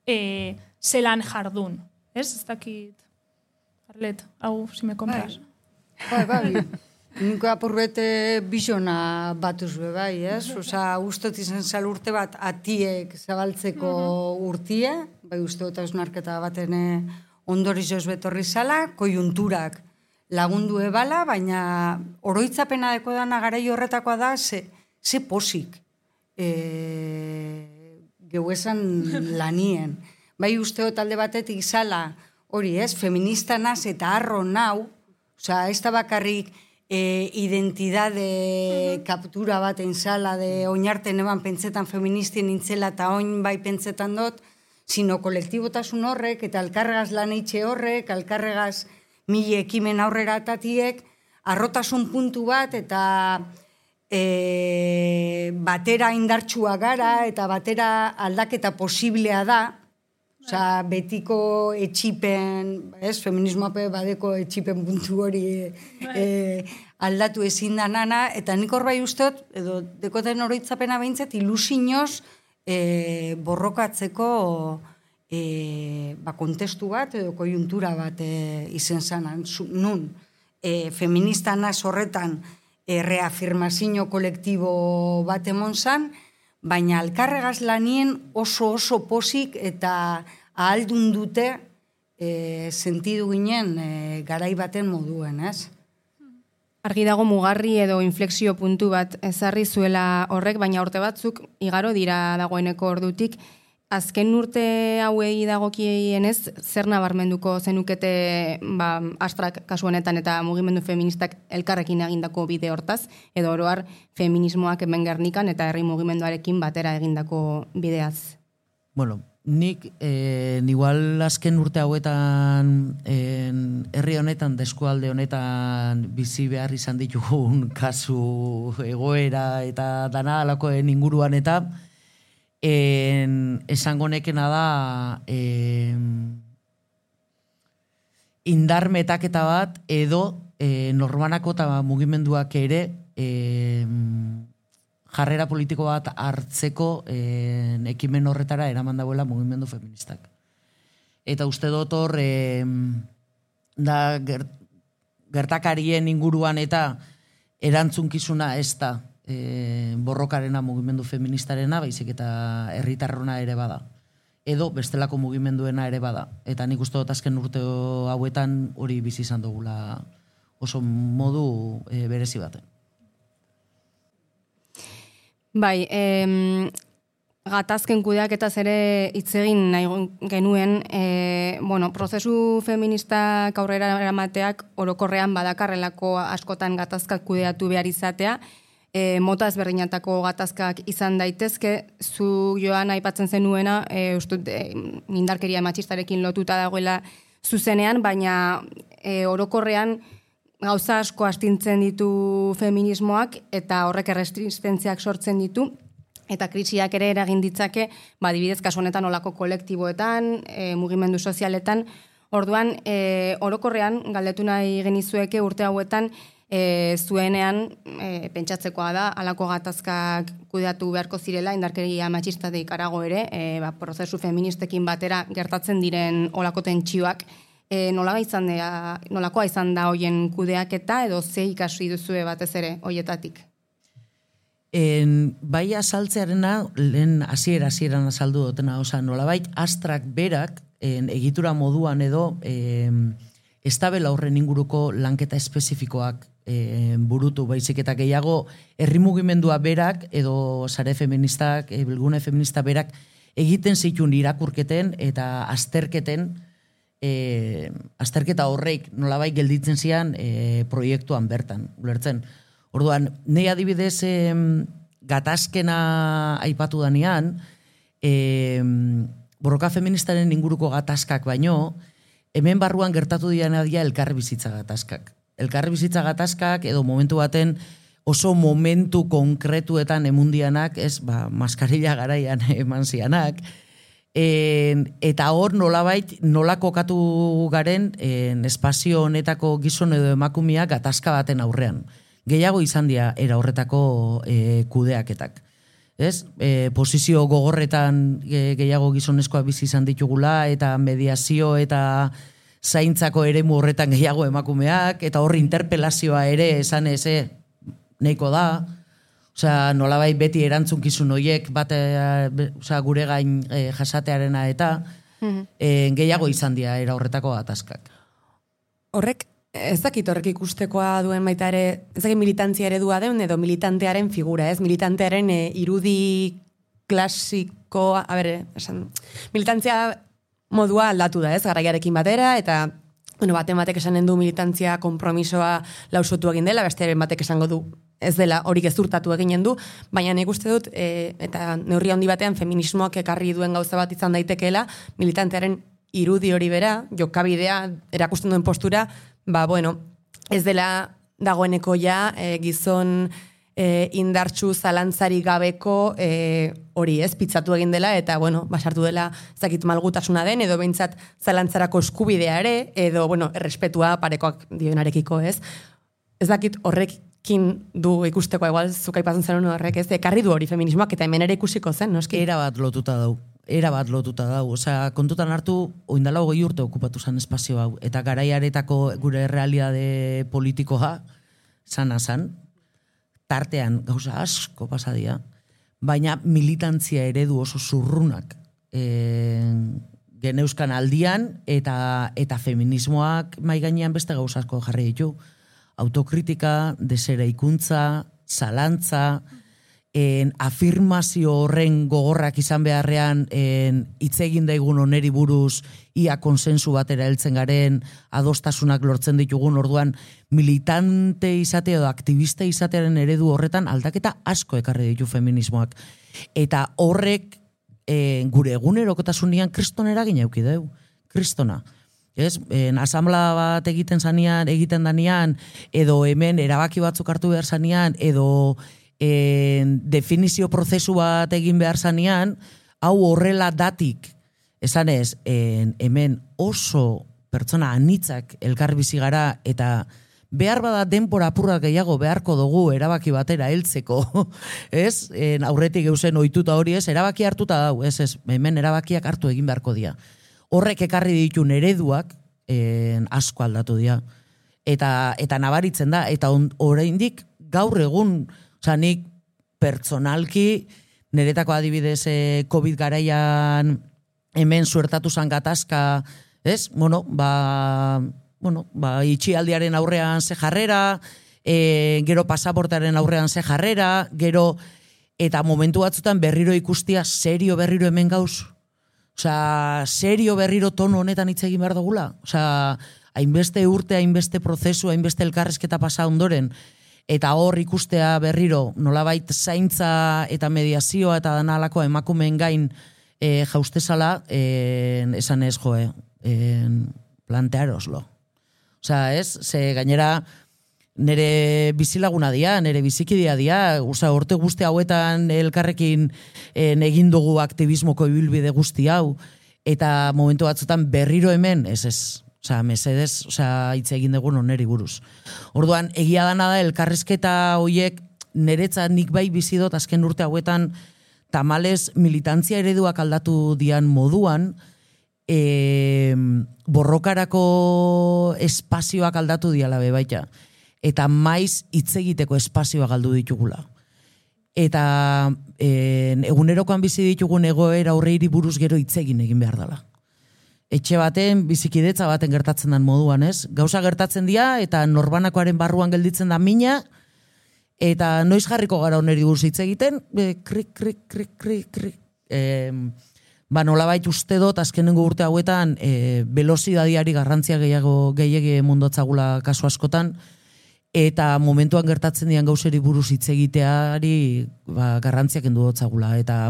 e, zelan jardun, ez? Ez dakit, Arlet, hau, si me compras. Bai, bai, bai. Niko apurrete bizona batuz be bai, ez? Osa, ustot izan zal urte bat atiek zabaltzeko urtie, bai uste dut hausnarketa baten ondorizoz betorri zala, kojunturak lagundu ebala, baina oroitzapena deko dana garai horretakoa da, ze, ze posik e, geu esan lanien. Bai uste dut alde batetik zala, hori ez, feminista naz eta arro nau, osa, ez da bakarrik E, identidade uh-huh. kaptura bat enzala de oinarten eban pentsetan feministien nintzela eta oin bai pentsetan dut, sino kolektibotasun horrek eta alkarregaz lan eitxe horrek, alkarregaz mile ekimen aurrera atatiek, arrotasun puntu bat eta e, batera indartsua gara eta batera aldaketa posiblea da, Osea, betiko etxipen, ez, feminismoape badeko etxipen puntu hori e, aldatu ezin da nana, eta nik hor bai usteot, edo dekoten oroitzapena behintzat, ilusinoz e, borrokatzeko e, ba, kontestu bat, edo kojuntura bat e, izen zanan, nun, e, feminista naz horretan e, reafirmazio kolektibo bat emon zan, baina alkarregaz lanien oso oso posik eta ahaldun dute e, sentidu ginen e, garai baten moduen, ez? Argi dago mugarri edo inflexio puntu bat ezarri zuela horrek, baina urte batzuk igaro dira dagoeneko ordutik. Azken urte hauei dagokienez, zer nabarmenduko zenukete ba, Astrak kasu honetan eta mugimendu feministak elkarrekin egindako bide hortaz, edo oroar feminismoak hemen Gernikan eta herri mugimenduarekin batera egindako bideaz? Bueno, nik eh, igual azken urte hauetan en, herri honetan, deskualde honetan bizi behar izan ditugun kasu egoera eta dana alakoen inguruan eta En, esango nekena da en, indar metaketa bat edo e, norbanako eta mugimenduak ere en, jarrera politiko bat hartzeko en, ekimen horretara eraman dauela mugimendu feministak. Eta uste dut hor da gert, gertakarien inguruan eta erantzunkizuna ez da E, borrokarena mugimendu feministarena, baizik eta herritarrona ere bada. Edo bestelako mugimenduena ere bada. Eta nik uste dut azken urte hauetan hori bizi izan dugula oso modu e, berezi baten. Bai, em, gatazken kudeaketaz ere hitz egin nahi genuen, e, bueno, prozesu feministak aurrera eramateak orokorrean badakarrelako askotan gatazkak kudeatu behar izatea, E, mota ezberdinatako gatazkak izan daitezke, zu Joan aipatzen zenuena, e, ustut, e, indarkeria matxistarekin lotuta dagoela zuzenean, baina e, orokorrean gauza asko astintzen ditu feminismoak eta horrek erresistentziak sortzen ditu, eta krisiak ere eragin ditzake, ba, dibidez kasu honetan olako kolektiboetan, e, mugimendu sozialetan, orduan e, orokorrean galdetu nahi genizueke urte hauetan, E, zuenean, e, pentsatzekoa da, alako gatazkak kudeatu beharko zirela, indarkeria matxistatik arago ere, e, ba, prozesu feministekin batera gertatzen diren olako tentsioak, e, nola izan da, nolakoa izan da hoien kudeaketa, edo ze ikasi duzue batez ere hoietatik? En, bai azaltzearena, lehen hasiera hasieran azaldu dutena, oza, nolabait Astrak berak, en, egitura moduan edo, en, ez tabela horren inguruko lanketa espezifikoak E, burutu, baizik eta gehiago herri mugimendua berak edo sare feministak, e, bilgune feminista berak egiten zituen irakurketen eta azterketen e, azterketa horreik nolabait gelditzen zian e, proiektuan bertan, ulertzen. Orduan, nei adibidez e, gatazkena aipatu danean, e, borroka feministaren inguruko gatazkak baino, hemen barruan gertatu diana dia elkarri bizitza gatazkak. Elkarri bizitza gatazkak edo momentu baten oso momentu konkretuetan emundianak, ez, ba, maskarilla garaian eman zianak, en, eta hor nolabait nola kokatu garen en, espazio honetako gizon edo emakumeak gatazka baten aurrean. Gehiago izan dira era horretako e, kudeaketak. Ez? E, posizio gogorretan e, gehiago gizonezkoa bizi izan ditugula eta mediazio eta zaintzako eremu horretan gehiago emakumeak, eta horri interpelazioa ere esan eze nahiko da. Osea, nolabait beti erantzunkizun horiek bate, osea, gure gain e, jasatearena eta mm-hmm. e, gehiago izan dira era horretako gatazkak. Horrek, ez dakit horrek ikustekoa duen baita ere, ez dakit militantzia eredua deun edo militantearen figura, ez? Militantearen e, irudi klasikoa, a ber, esan, militantzia modua aldatu da, ez, garaiarekin batera, eta, bueno, baten batek esanen du militantzia konpromisoa lausotu egin dela, bestearen batek esango du ez dela hori gezurtatu eginen du, baina nik uste dut, e, eta neurri handi batean feminismoak ekarri duen gauza bat izan daitekeela, militantearen irudi hori bera, jokabidea, erakusten duen postura, ba, bueno, ez dela dagoeneko ja, e, gizon e, indartsu zalantzari gabeko e, hori ez, pitzatu egin dela, eta, bueno, basartu dela zakit malgutasuna den, edo behintzat zalantzarako eskubidea ere, edo, bueno, errespetua parekoak dionarekiko, ez? Ez dakit horrekin du ikusteko, igual, zuk aipatzen zen horrek, ez? Ekarri du hori feminismoak, eta hemen ere ikusiko zen, noski? Era bat lotuta dau. Era bat lotuta dau. Osea, kontutan hartu, oindala hogei urte okupatu zen espazio hau. Eta garaiaretako gure realitate politikoa, sana zan, tartean gauza asko pasadia, baina militantzia eredu oso zurrunak e, geneuzkan aldian, eta eta feminismoak mai gainean beste gauza asko jarri ditu. Autokritika, deseraikuntza, zalantza, en afirmazio horren gogorrak izan beharrean en hitz egin daigun oneri buruz ia konsensu batera heltzen garen, adostasunak lortzen ditugun, orduan militante izate edo aktivista izatearen eredu horretan aldaketa asko ekarri ditu feminismoak. Eta horrek e, gure egunerokotasunean kriston eragin eduki deu. Kristona. Ez, en asamblea bat egiten zanean, egiten danean, edo hemen erabaki batzuk hartu behar zanean, edo en, definizio prozesu bat egin behar zanean, hau horrela datik, esan ez, en, hemen oso pertsona anitzak elkar bizi gara, eta behar bada denbora apurra gehiago beharko dugu erabaki batera heltzeko, ez? En, aurretik eusen ohituta hori ez, erabaki hartuta dau, ez, ez, hemen erabakiak hartu egin beharko dira. Horrek ekarri ditun ereduak en, asko aldatu dira. Eta, eta nabaritzen da, eta oraindik gaur egun, oza, nik pertsonalki, niretako adibidez eh, COVID garaian hemen suertatu zan gatazka, ez? Bueno, ba, bueno, ba, itxialdiaren aurrean ze jarrera, e, gero pasaportaren aurrean ze jarrera, gero, eta momentu batzutan berriro ikustia, serio berriro hemen gauz. Osea, serio berriro tono honetan hitz egin behar dugula. Osea, hainbeste urte, hainbeste prozesu, hainbeste elkarrezketa pasa ondoren, eta hor ikustea berriro, nolabait zaintza eta mediazioa eta danalako emakumeen gain e, jaustezala, e, esan ez joe, e, plantearoslo. Osea, ez, ze gainera nere bizilaguna dia, nere bizikidia dia, osea, orte guzti hauetan elkarrekin en, egin dugu aktivismoko ibilbide guzti hau, eta momentu batzutan berriro hemen, ez ez, osea, mesedez, osea, hitz egin dugu noneri buruz. Orduan, egia dana da, elkarrizketa hoiek niretzat nik bai bizi dut azken urte hauetan tamales militantzia ereduak aldatu dian moduan, e, borrokarako espazioak aldatu diala bebaita. Eta maiz hitz egiteko espazioa galdu ditugula. Eta e, egunerokoan bizi ditugun egoera aurreiri buruz gero hitz egin egin behar dela. Etxe baten, bizikidetza baten gertatzen den moduan, ez? Gauza gertatzen dira, eta norbanakoaren barruan gelditzen da mina, eta noiz jarriko gara oneri buruz hitz egiten, e, krik, krik, krik, krik, krik. E, ba, nolabait uste dut, azkenengo urte hauetan, e, velozidadiari garrantzia gehiago gehiagi mundotzagula kasu askotan, eta momentuan gertatzen dian gauzeri buruz hitz egiteari ba, garrantziak endu dotzagula, eta,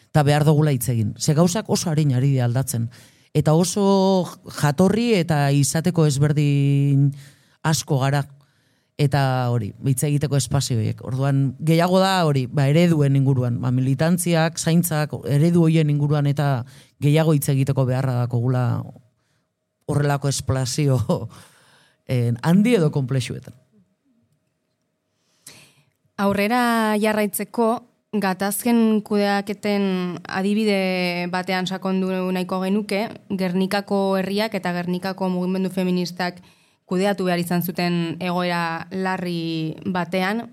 eta behar dugula hitz egin. Ze gauzak oso harin ari da aldatzen. Eta oso jatorri eta izateko ezberdin asko gara. Eta hori, hitz egiteko espazioiek. Orduan, gehiago da hori, ba, ereduen inguruan, ba, militantziak, zaintzak, eredu hoien inguruan, eta gehiago hitz egiteko beharra dakogula horrelako esplazio handi edo konplexuetan. Aurrera jarraitzeko, gatazken kudeaketen adibide batean sakondu nahiko genuke, Gernikako herriak eta Gernikako mugimendu feministak kudeatu behar izan zuten egoera larri batean.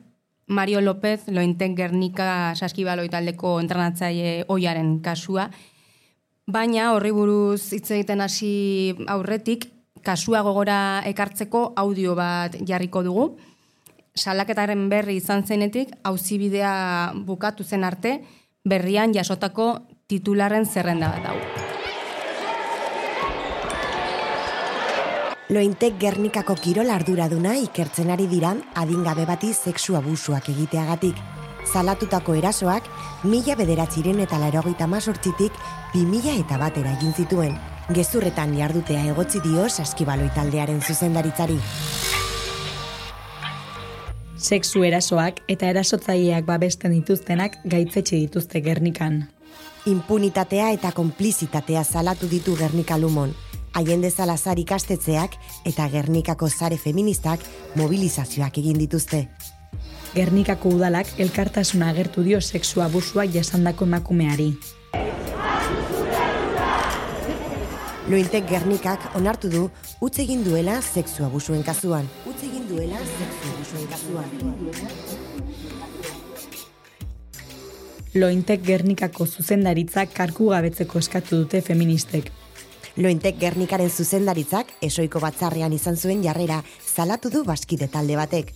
Mario López, Lointek Gernika Saskibaloi taldeko entrenatzaile ohiaren kasua. Baina horri buruz hitz egiten hasi aurretik, kasua gogora ekartzeko audio bat jarriko dugu. Salaketaren berri izan zenetik, auzibidea bukatu zen arte, berrian jasotako titularren zerrenda bat hau. Lointek Gernikako kirol arduraduna ikertzen ari diran adingabe bati sexu abusuak egiteagatik. Salatutako erasoak mila bederatziren eta laurogeita hemezortzitik bi mila eta batera egin zituen. Gezurretan jardutea egotzi dio Saskibaloi taldearen zuzendaritzari. Sexu erasoak eta erasotzaileak babesten dituztenak gaitzetxe dituzte Gernikan. Impunitatea eta konplizitatea salatu ditu Gernika Lumon. Allende Salazar ikastetxeak eta Gernikako sare feministak mobilizazioak egin dituzte. Gernikako udalak elkartasuna agertu dio sexu abusua jasandako emakumeari. Lointek Gernikak onartu du utz egin duela sexu abusuen kasuan. Utz egin duela sexu abusuen kasuan. Lointek Gernikako zuzendaritzak kargu gabetzeko eskatu dute feministek. Lointek Gernikaren zuzendaritzak esoiko batzarrean izan zuen jarrera salatu du Baskide talde batek.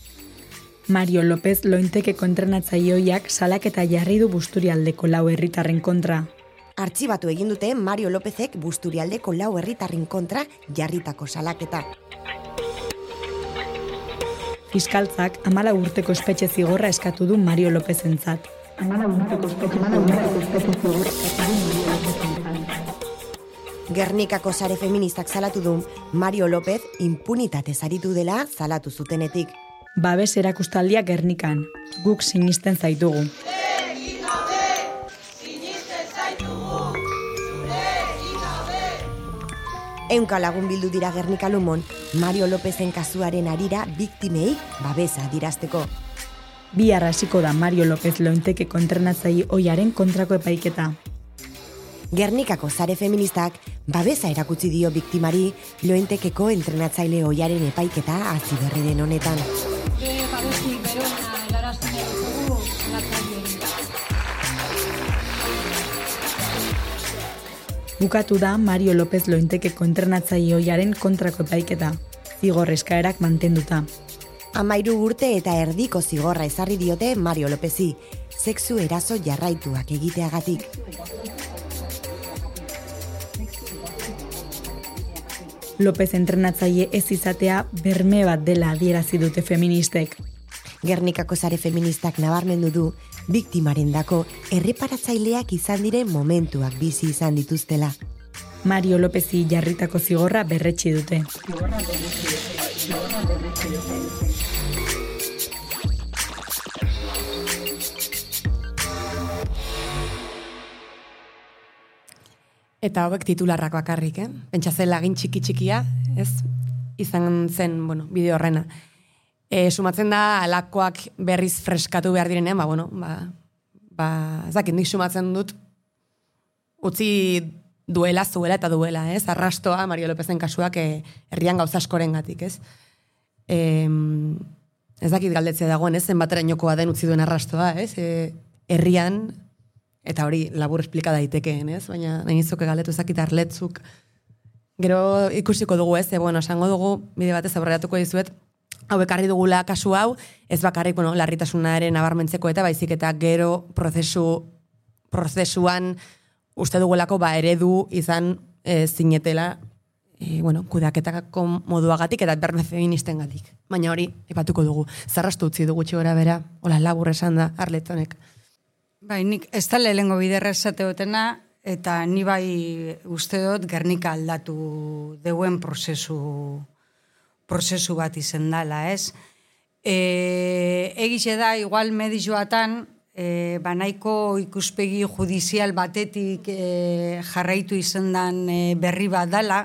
Mario López Lointekeko entrenatzaioiak salaketa jarri du Busturialdeko lau herritarren kontra. Artxibatu egin dute Mario Lópezek Busturialdeko lau herritarren kontra jarritako salaketa. Fiskaltzak amala urteko espetxe zigorra eskatu du Mario Lópezentzat. Amala urteko espetxe zigorra eskatu du Mario Lópezentzat. Gernikako sare feministak salatu du Mario López impunitate zaritu dela salatu zutenetik. Babes erakustaldia Gernikan, guk sinisten zaitugu. Ehunka lagun bildu dira Gernika Lumon, Mario Lópezen kasuaren harira biktimei babesa adierazteko. Bihar hasiko da Mario López Lointekeko entrenatzaile ohiaren kontrako epaiketa. Gernikako sare feministak babesa erakutsi dio biktimari Lointekeko entrenatzaile ohiaren epaiketa hasi berri den honetan. Bukatu da Mario López Lointekeko entrenatzaile ohiaren kontrako epaiketa, zigor eskaerak mantenduta. Amairu urte eta erdiko zigorra ezarri diote Mario Lópezi, sexu eraso jarraituak egiteagatik. López entrenatzaile ez izatea berme bat dela adierazi dute feministek. Gernikako sare feministak nabarmendu du, biktimarendako erreparatzaileak izan diren momentuak bizi izan dituztela. Mario Lópezi jarritako zigorra berretsi dute. Eta hauek titularrak bakarrik, eh? Pentsa zen lagin txiki-txikia, ez? Izan zen, bueno, bideo horrena. E, sumatzen da, alakoak berriz freskatu behar direnean, ba, bueno, ba, ba, ez dakit, nik sumatzen dut, utzi duela, zuela eta duela, ez? Arrastoa, Mario Lópezen kasuak, e, herrian gauza askoren gatik, ez? E, ez dakit galdetzea dagoen, ez? Zenbaterainokoa den utzi duen arrastoa, ez? E, herrian, eta hori labur esplika daitekeen, ez? Baina nahi nizuke galdetu ezakit arletzuk. Gero ikusiko dugu, ez? E, bueno, esango dugu, bide batez aurreratuko dizuet, hau ekarri dugula kasu hau, ez bakarrik, bueno, larritasunaren nabarmentzeko eta baizik eta gero prozesu, prozesuan uste dugulako ba eredu izan e, zinetela, e, bueno, kudeaketako moduagatik eta berme feministen gatik. Baina hori, ipatuko dugu. Zarrastu utzi dugu txigora bera, hola labur esan da, Arletonek. Bai, nik ez da lehengo biderra esate dutena, eta ni bai uste dut Gernika aldatu deuen prozesu prozesu bat izen dala, ez? E, egize da, igual medizioatan, e, banaiko ikuspegi judizial batetik e, jarraitu izendan e, berri bat dala,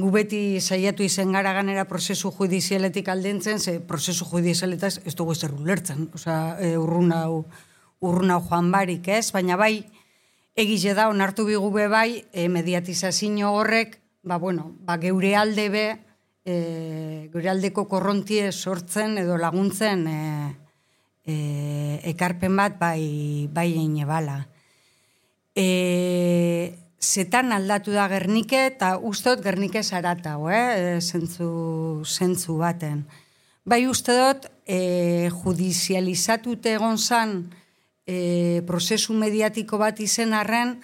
gu beti saiatu izen gara ganera prozesu judizialetik aldentzen, ze prozesu judizialetaz ez dugu ezer ulertzen, osea, e, urrun hau, urrun hau joan barik, ez? Baina bai, egize da, onartu bigu be bai, e, mediatizazio horrek, ba, bueno, ba, geure alde be, E, gure aldeko korrontie sortzen edo laguntzen e, e, ekarpen bat bai, bai eine bala. E, zetan aldatu da Gernike eta ustot Gernike zaratau, eh? zentzu, zentzu baten. Bai uste dut e, judizializatute egon zan e, prozesu mediatiko bat izen arren,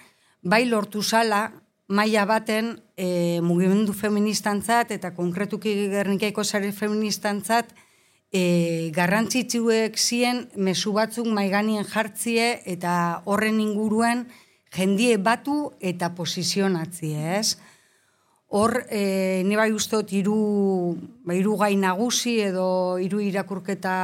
bai lortu zala, maila baten e, mugimendu feministantzat eta konkretuki Gernikaiko sare feministantzat e, garrantzitsuek zien mezu batzuk maiganien jartzie eta horren inguruen jendie batu eta posizionatzie, ez? Hor, e, ne bai ustot hiru ba, hiru gai nagusi edo hiru irakurketa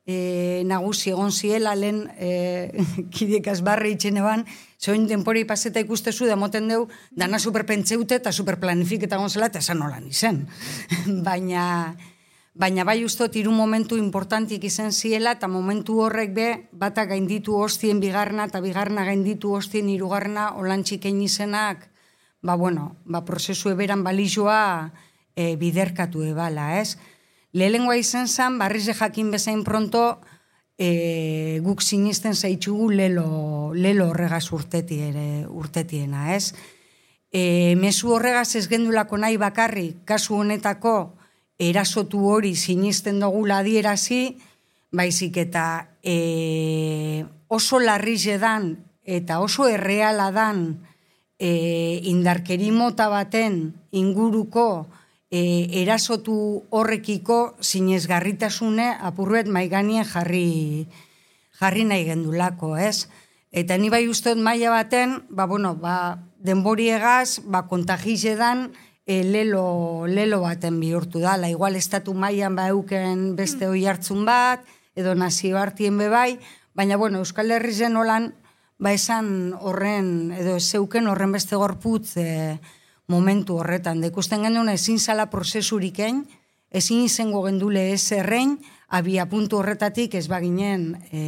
e, nagusi egon ziela, lehen e, kidekaz barre itxene ban, zoin denpori paseta ikustezu, da moten deu, dana superpentseute eta superplanifiketa gonzela, eta esan nolan izen. baina, baina bai ustot, hiru momentu importantik izan ziela, eta momentu horrek be, bata gainditu hostien bigarna, eta bigarna gainditu hostien hirugarna, olantxikein izenak, ba, bueno, ba, prozesu eberan balizoa e, biderkatu ebala, ez? Lehengoa izan zen, barriz jakin bezain pronto, e, guk sinisten zaitxugu lelo, lelo horregaz urteti ere, urtetiena, ez? E, mezu horregaz ez gendulako nahi bakarri, kasu honetako, erasotu hori sinisten dugula adierazi, baizik eta e, oso larrize dan, eta oso erreala dan, e, indarkeri mota baten inguruko, E, erasotu horrekiko zinezgarritasune apurret maiganien jarri, jarri nahi gendulako, ez? Eta ni bai usteot maila baten, ba, bueno, ba, denboriegaz, ba, kontagizedan e, lelo, lelo baten bihurtu dala. Igual estatu mailan ba euken beste hoi hartzun bat, edo nazio hartien bebai, baina, bueno, Euskal Herri zen holan, ba, esan horren, edo zeuken horren beste gorputz, e, momentu horretan. Da ikusten genuen ezin zala prozesuriken, ezin izango gendule ez errein, abia puntu horretatik ez baginen e,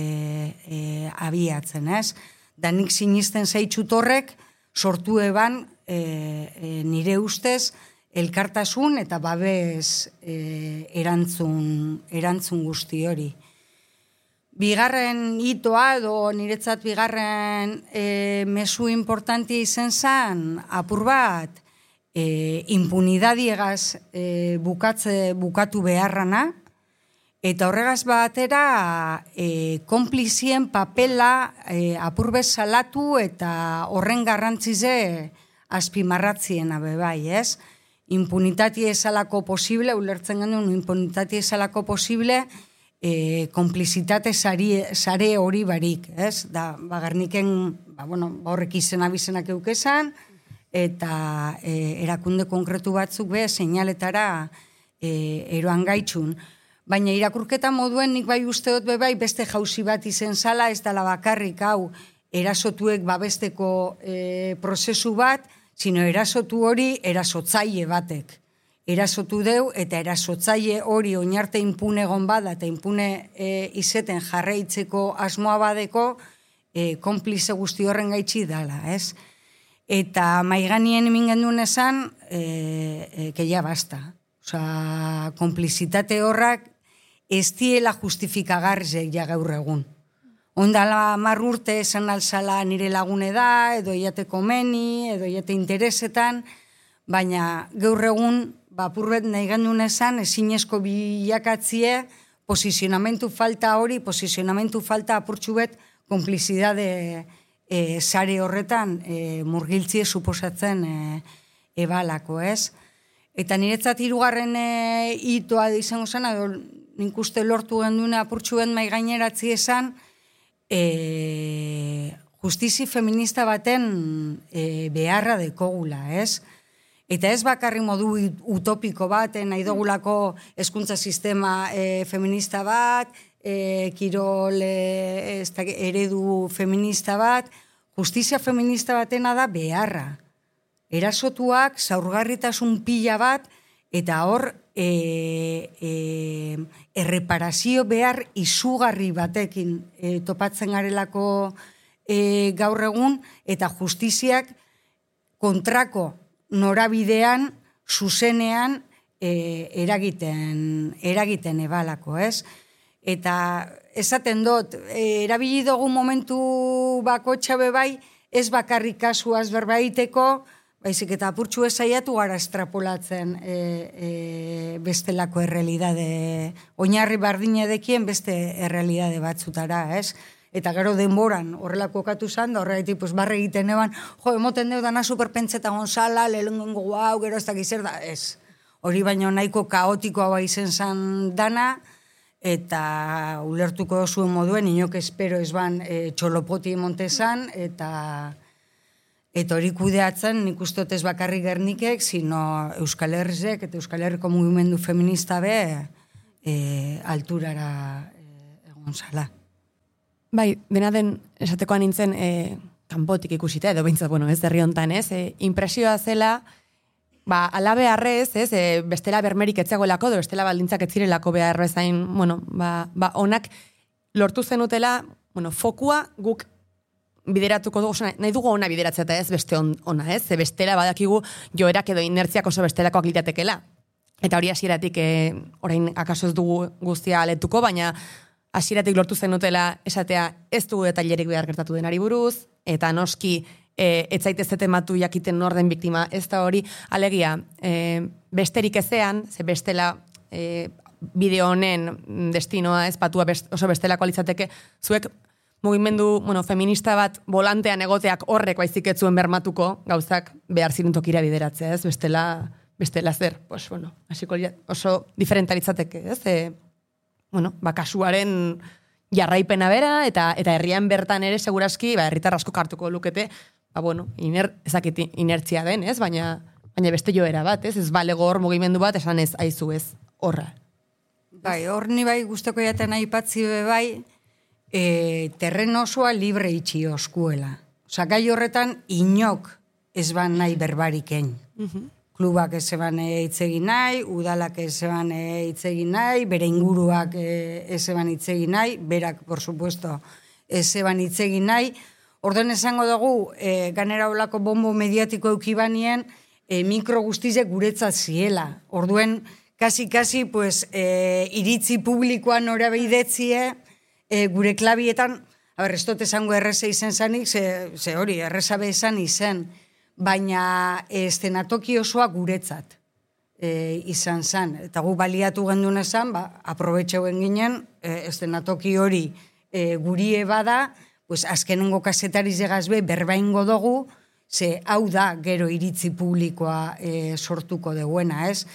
e, abiatzen, ez? Da nik sinisten zaitxut horrek, sortu eban e, e, nire ustez, elkartasun eta babes e, erantzun, erantzun guzti hori. Bigarren hitoa, edo niretzat bigarren e, mezu importanti izen zen, apur bat, E, impunidadiegaz e, bukatze, bukatu beharrana, eta horregaz batera e, konplizien papela e, apurbez salatu eta horren garrantzize azpimarratziena bebai, ez? Impunitatea esalako posible, ulertzen genuen impunitatea esalako posible, e, konplizitate sare hori barik, ez? Da, bagarniken, ba, bueno, horrek izena bizenak eukezan, eta e, erakunde konkretu batzuk be, seinaletara e, eroan gaitxun. Baina irakurketa moduen nik bai usteot bebai beste jauzi bat izen zala, ez dala bakarrik hau erasotuek babesteko e, prozesu bat, sino erasotu hori erasotzaile batek. Erasotu deu eta erasotzaile hori oinarte impune egon bada eta impune e, izeten jarraitzeko asmoa badeko e, konplize guzti horren gaitxi dala, ez? Eta maiganien emin genduen esan, e, e, que ya basta. Osa, konplizitate horrak ez diela justifikagarrezek ja gaur egun. Ondala mar urte esan alzala nire lagune da, edo iate komeni, edo iate interesetan, baina gaur egun, bapurbet nahi genduen esan, ezinezko bilakatzie, posizionamentu falta hori, posizionamentu falta apurtxubet, konplizidade E, sare horretan e, murgiltzie suposatzen e, ebalako, ez? Eta niretzat hirugarren e, hitoa izango zen, edo nik uste lortu genduna apurtxuen mai gaineratzi esan, e, justizi feminista baten e, beharra dekogula, ez? Eta ez bakarri modu utopiko bat, nahi dugulako hezkuntza sistema e, feminista bat, E, kirol e, ez da, eredu feminista bat, justizia feminista batena da beharra. Erasotuak, zaurgarritasun pila bat, eta hor e, e, erreparazio behar izugarri batekin e, topatzen garelako e, gaur egun, eta justiziak kontrako norabidean, zuzenean e, eragiten, eragiten ebalako, ez? Eta esaten dut, e, erabili dugu momentu bakotxa bebai, ez bakarrik kasuaz berbaiteko, baizik eta apurtxu ezaiatu gara estrapolatzen e, e, bestelako errealidade, oinarri bardine dekien beste errealidade batzutara, ez? Eta gero denboran horrelako okatu zan, da horregatik pues, barre egiten eban, jo, emoten deu dana superpentseta gonzala, lehenengo guau, gero ez da gizer da, ez. Hori baino nahiko kaotikoa bai izen zan dana, eta ulertuko zuen moduen, inok espero ez ban e, txolopoti montezan, eta eta hori kudeatzen nik ustot ez bakarrik Gernikek, sino Euskal Herrizek eta Euskal Herriko mugimendu feminista be e, alturara e, onzala. Bai, dena den esatekoa nintzen e, kanpotik ikusita, edo behintzat, bueno, ez herri hontan, ez? E, impresioa zela, ba, alabe harrez, ez? E, bestela bermerik etzegoelako, edo bestela baldintzak etzirelako behar bezain, bueno, ba, ba, onak lortu zenutela, bueno, fokua guk bideratuko dugu, nahi dugu ona bideratzea eta ez beste on, ona, ez? Ze bestela badakigu joerak edo inertziak oso bestelakoak litatekela. Eta hori hasieratik, e, orain akaso ez dugu guztia aletuko, baina hasieratik lortu zenutela esatea ez dugu detailerik behar gertatu denari buruz, eta noski e, ez zaitez etematu jakiten norden biktima ez da hori, alegia, e, besterik ezean, ze bestela e, bideo honen destinoa ez patua best, oso bestelako alitzateke, zuek mugimendu, bueno, feminista bat volantean egoteak horrek baizik ez zuen bermatuko, gauzak behar ziren tokira bideratzea, ez? Bestela, bestela zer, pues, bueno, hasiko oso diferentalitzateke, ez? E, bueno, ba, kasuaren jarraipena bera, eta eta herrian bertan ere, segurazki, ba, herritar asko hartuko lukete, ba, bueno, iner, ezakit inertzia den, ez? Baina, baina beste joera bat, ez? Ez balego hor mugimendu bat, esan ez, aizu ez, horra. Bai, hor ni bai guztoko jaten aipatzi be bai, e, terren osoa libre itxi oskuela. Osa, gai horretan inok ez ban nahi berbariken. Uh-huh. Klubak ez eban hitz egin nahi, udalak ez eban hitz egin nahi, bere inguruak ez eban hitz egin nahi, berak, por supuesto, ez eban hitz egin nahi. Orden esango dugu, e, ganera olako bombo mediatiko eukibanien, e, mikro guztizek guretzat ziela. Orduen, kasi-kasi, pues, e, iritzi publikoan nora behidetzie, e, gure klabietan, haber, ez dut esango erreza izen zanik, ze, ze hori, erreza bezan izen, baina estenatoki osoa guretzat e, izan zen. Eta gu baliatu gendun esan, ba, aprobetxeuen ginen, e, estenatoki hori e, gurie bada, pues, azkenengo kasetari zegazbe berbaingo dugu, ze hau da gero iritzi publikoa e, sortuko deguena, ez?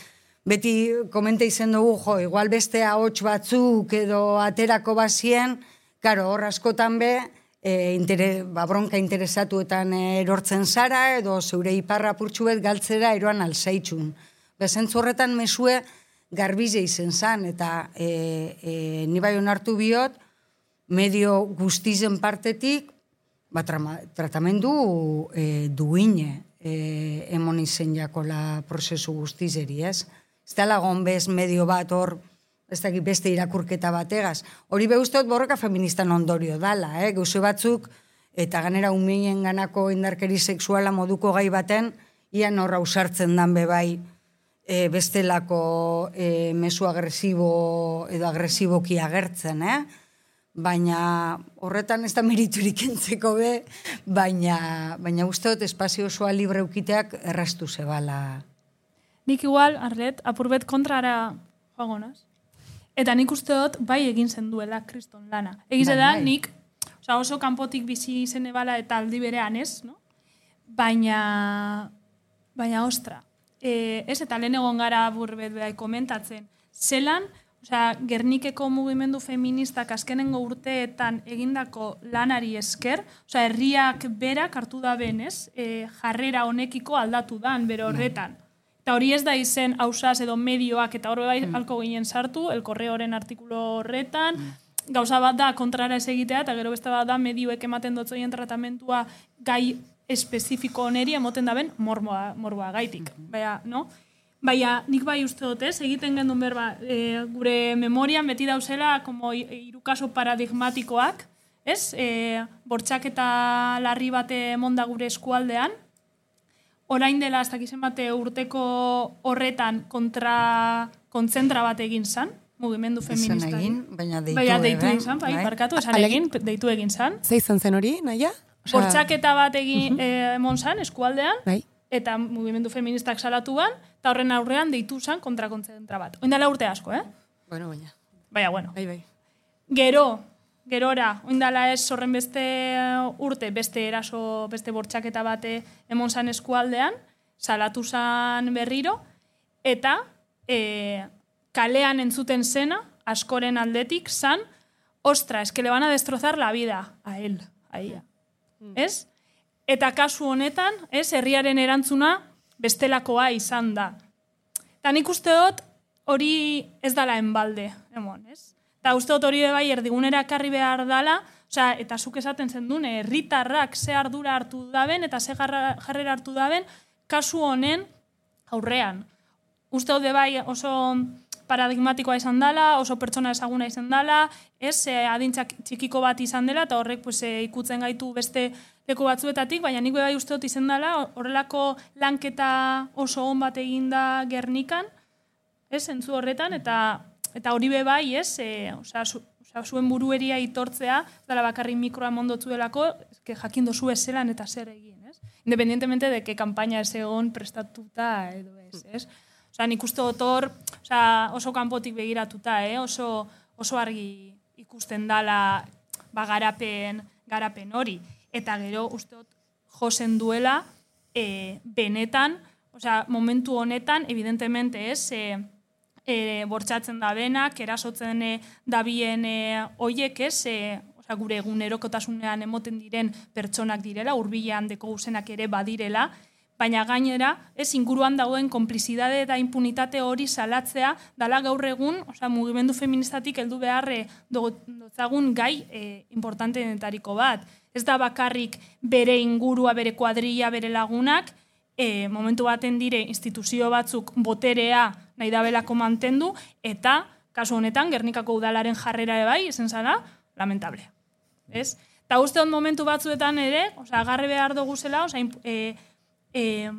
Beti komente izen dugu, jo, igual beste ahots batzuk edo aterako bazien, karo, hor askotan be, E, intere, ba, bronka interesatuetan erortzen zara, edo zeure iparra purtsuet galtzera eroan alzaitxun. Bezentzu horretan mesue garbize izen zan, eta e, e, ni bai onartu biot, medio guztizen partetik, ba, trama, tratamendu e, duine e, emon izen jakola prozesu guztizeri, ez? Ez da lagon bez medio bat hor, ez da beste irakurketa bategaz. Hori behuztot borroka feministan ondorio dala, eh? Gauze batzuk, eta ganera umien ganako indarkeri sexuala moduko gai baten, ian horra usartzen dan bebai e, bestelako e, mesu agresibo edo agresiboki agertzen, eh? Baina horretan ez da meriturik entzeko be, baina, baina usteot espazio osoa libre ukiteak errastu zebala. Nik igual, Arlet, apurbet kontrara joagonaz. Eta nik uste dut bai egin zen duela kriston lana. Egiz da, nik oza, oso kanpotik bizi izen ebala eta aldi berean ez, no? Baina, baina ostra, e, ez eta lehen egon gara burbet behar komentatzen. Zelan, oza, Gernikeko mugimendu feministak azkenengo urteetan egindako lanari esker, oza, herriak berak hartu da benez, e, jarrera honekiko aldatu dan, bere horretan. Eta hori ez da izen hausaz edo medioak eta horre bai mm. alko ginen sartu, el korreoren artikulo horretan, mm. gauza bat da kontrara ez egitea, eta gero beste bat da medioek ematen dotzoien tratamentua gai espezifiko oneri emoten daben morboa, morboa gaitik. Mm. Baina, no? Baina, nik bai uste dut ez, egiten gendun berba, e, gure memorian beti dauzela como irukaso paradigmatikoak, ez? E, bortxak eta larri bate emonda gure eskualdean, orain dela, ez dakizen bate urteko horretan kontra kontzentra bat egin zan, mugimendu feminista. Esan egin, baina deitu, baina deitu egin zan, bai, parkatu, esan egin, deitu egin zan. Ze izan zen hori, naia? Bortxaketa bat egin uh-huh. eh, emon zan, eskualdean, bai. Eta mugimendu feministak salatu ban, eta horren aurrean deitu zan kontra kontzentra bat. Oindala urte asko, eh? Bueno, baina. Baina, bueno. Bai, bai. Gero, gerora, oindala ez horren beste urte, beste eraso, beste bortxaketa bate emon zan eskualdean, salatu zan berriro, eta e, kalean entzuten zena, askoren aldetik, zan, ostra, es que le van a destrozar la vida a él, a ella. Mm. Ez? Eta kasu honetan, ez, herriaren erantzuna bestelakoa izan da. Eta nik uste dut, hori ez dala enbalde, emon, ez? Eta uste dut hori bai erdigunera ekarri behar dala, osea, eta zuk esaten zendun, herritarrak ze ardura hartu daben eta ze jarrera hartu daben, kasu honen aurrean. Uste dut bai oso paradigmatikoa izan dela, oso pertsona ezaguna izan dela, ez, adintzak txikiko bat izan dela, eta horrek pues, ikutzen gaitu beste leku batzuetatik, baina nik bai uste dut izan dela, horrelako lanketa oso on bat eginda Gernikan, ez, entzu horretan, eta eta hori be bai, ez, e, osea, zu, osea, zuen burueria itortzea, dela bakarrik mikroa mondotzuelako, que jakin dozu ez zelan eta zer egin, ez? Independientemente de que kampaina ez egon prestatuta edo ez, ez? Osea, nik uste dut hor, osea, oso kanpotik begiratuta, eh? oso, oso argi ikusten dala ba, garapen, garapen hori. Eta gero uste dut josen duela e, benetan, osea, momentu honetan, evidentemente ez, e, e, bortxatzen da benak, erasotzen e, dabien e, oiek ez, e, osea, gure egunerokotasunean emoten diren pertsonak direla, hurbilean deko guzenak ere badirela, baina gainera, ez inguruan dagoen konplizidade eta impunitate hori salatzea, dala gaur egun, osea, mugimendu feministatik heldu beharre dotzagun gai e, importanteenetariko bat. Ez da bakarrik bere ingurua, bere kuadrilla, bere lagunak, e, momentu baten dire instituzio batzuk boterea nahi dabelako mantendu, eta, kasu honetan, Gernikako udalaren jarrera bai, ezen zara, lamentable. Ez? Eta uste hon momentu batzuetan ere, osea, agarre behar dugu zela, osea, e, E,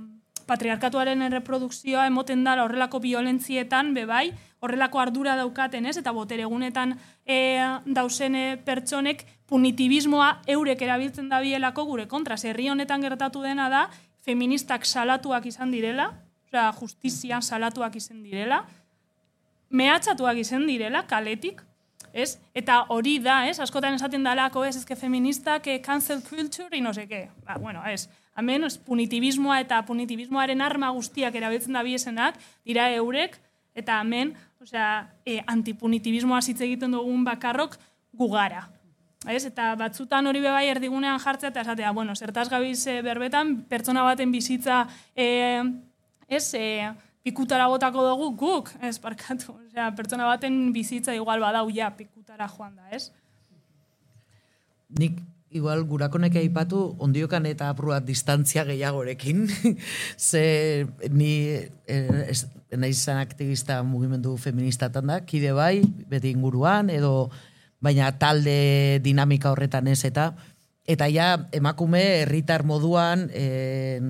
patriarkatuaren erreprodukzioa emoten dara horrelako violentzietan, bebai, horrelako ardura daukaten, ez? Eta boteregunetan e, dauzene pertsonek punitibismoa eurek erabiltzen dabielako gure kontra. Herri honetan gertatu dena da, feministak salatuak izan direla, osea, justizian salatuak izan direla, mehatxatuak izan direla, kaletik, ez? Eta hori da, ez? Askotan esaten dalako, ez? Ez que feministak eh, cancel culture y no sé qué. Ba, bueno, ez. Hemen, punitibismoa eta punitibismoaren arma guztiak erabiltzen da biesenak, dira eurek, eta hemen, osea, e, antipunitibismoa hitz egiten dugun bakarrok gugara. Ez? Eta batzutan hori bebai erdigunean jartzea, eta esatea, bueno, zertaz gabiz berbetan, pertsona baten bizitza, e, ez, e, pikutara botako dugu guk, ez, parkatu. Osea, pertsona baten bizitza igual badau ja pikutara joan da, ez? Nik igual gurakonek aipatu ondiokan eta apruat distantzia gehiagorekin. Ze ni eh, naiz izan aktivista mugimendu feministatan da, kide bai, beti inguruan, edo baina talde dinamika horretan ez eta eta ja emakume herritar moduan eh,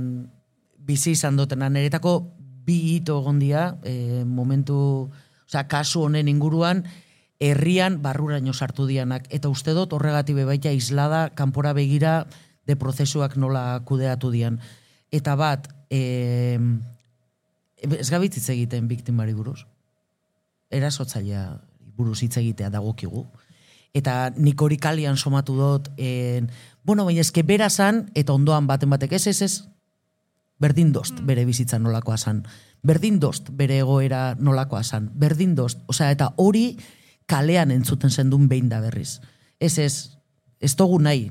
bizi izan dutenan eretako bi hito egondia eh, momentu, osea, kasu honen inguruan, herrian barruraino sartu dianak. Eta uste dut horregatik bebaita islada, kanpora begira de prozesuak nola kudeatu dian. Eta bat, e, ez gabitz egiten biktimari buruz. Erasotzailea buruz hitz egitea dagokigu. Eta nik hori kalian somatu dut, en, bueno, baina eske bera zan, eta ondoan baten batek ez ez ez, berdin dost bere bizitza nolakoa zan. Berdin dost bere egoera nolakoa zan. Berdin dost. Osea, eta hori kalean entzuten zendun behin da berriz. Ez ez, ez dugu nahi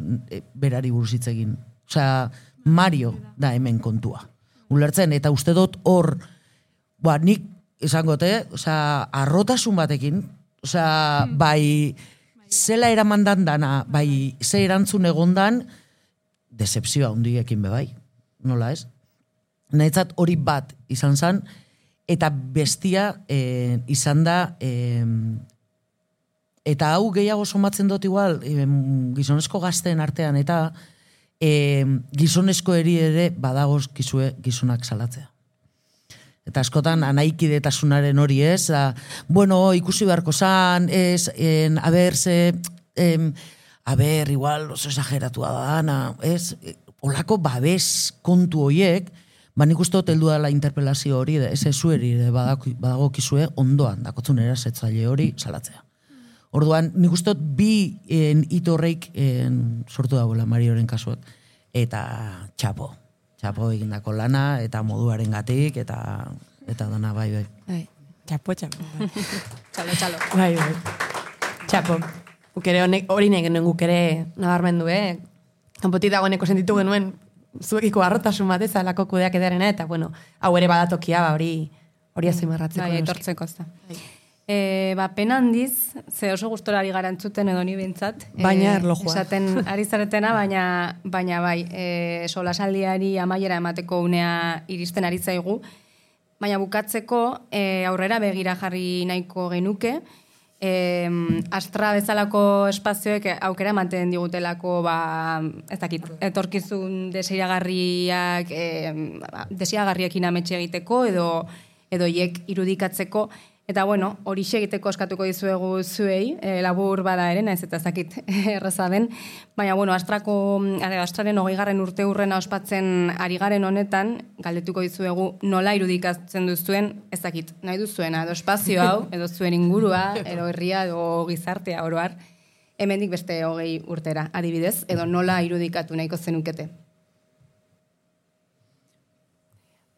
berari buruz hitz egin. Osea, Mario da hemen kontua. Ulertzen, eta uste dut hor, ba, nik esangote, osea, arrotasun batekin, osea, bai, zela eramandan dana, bai, ze erantzun egondan, decepzioa hundiekin bebai, nola ez? Nahitzat hori bat izan zen, eta bestia eh, izan da, eh, eta hau gehiago somatzen dut igual, eh, gizonezko gazteen artean, eta eh, gizonezko eri ere badagoz gizue gizonak salatzea. Eta askotan anaikidetasunaren hori ez, a, bueno, ikusi beharko zan, ez, en, a ber, ze, em, a ber, igual oso exageratua da dana, ez, olako babes kontu hoiek, ba nik uste dut heldu dela interpelazio hori, ez ez zueri badago kizue ondoan, dakotzun erasetzaile hori salatzea. Orduan, nik uste dut bi hito horreik sortu dagoela Marioren kasuak, eta txapo. Txapo egindako lana, eta moduaren gatik, eta, eta dana, bai, bai. Bai, txapo, txapo. Bai. Txalo, txalo. Bai, bai. Txapo. Ukere hori nahi genuen gukere nabarmendu, eh? Kanpotik dagoeneko sentitu genuen zuekiko arrotasun bat ez, alako kudeak edarena, eta, bueno, hau ere badatokia, ba, hori hori azimarratzeko. Bai, etortzeko ez da. E, ba, pena handiz, ze oso gustorari garantzuten edo ni bintzat. Baina erlojua. Esaten ari zaretena, baina, baina bai, e, solasaldiari amaiera emateko unea iristen ari zaigu. Baina bukatzeko e, aurrera begira jarri nahiko genuke, e, Astra bezalako espazioek aukera ematen digutelako, ba, ez dakit, etorkizun desiragarriak, e, desiragarriekin ametxe egiteko edo edo hiek irudikatzeko. Eta, bueno, hori egiteko eskatuko dizuegu zuei, e, labur bada ere, naiz eta ez dakit erraza den. Baina, bueno, Astrako, Astraren hogeigarren urte hurrena ospatzen ari garen honetan, galdetuko dizuegu nola irudikatzen duzuen, ez dakit, nahi duzuena, edo espazio hau, edo zuen ingurua, edo herria, edo gizartea oroar, hemendik beste hogei urtera, adibidez, edo nola irudikatu nahiko zenukete.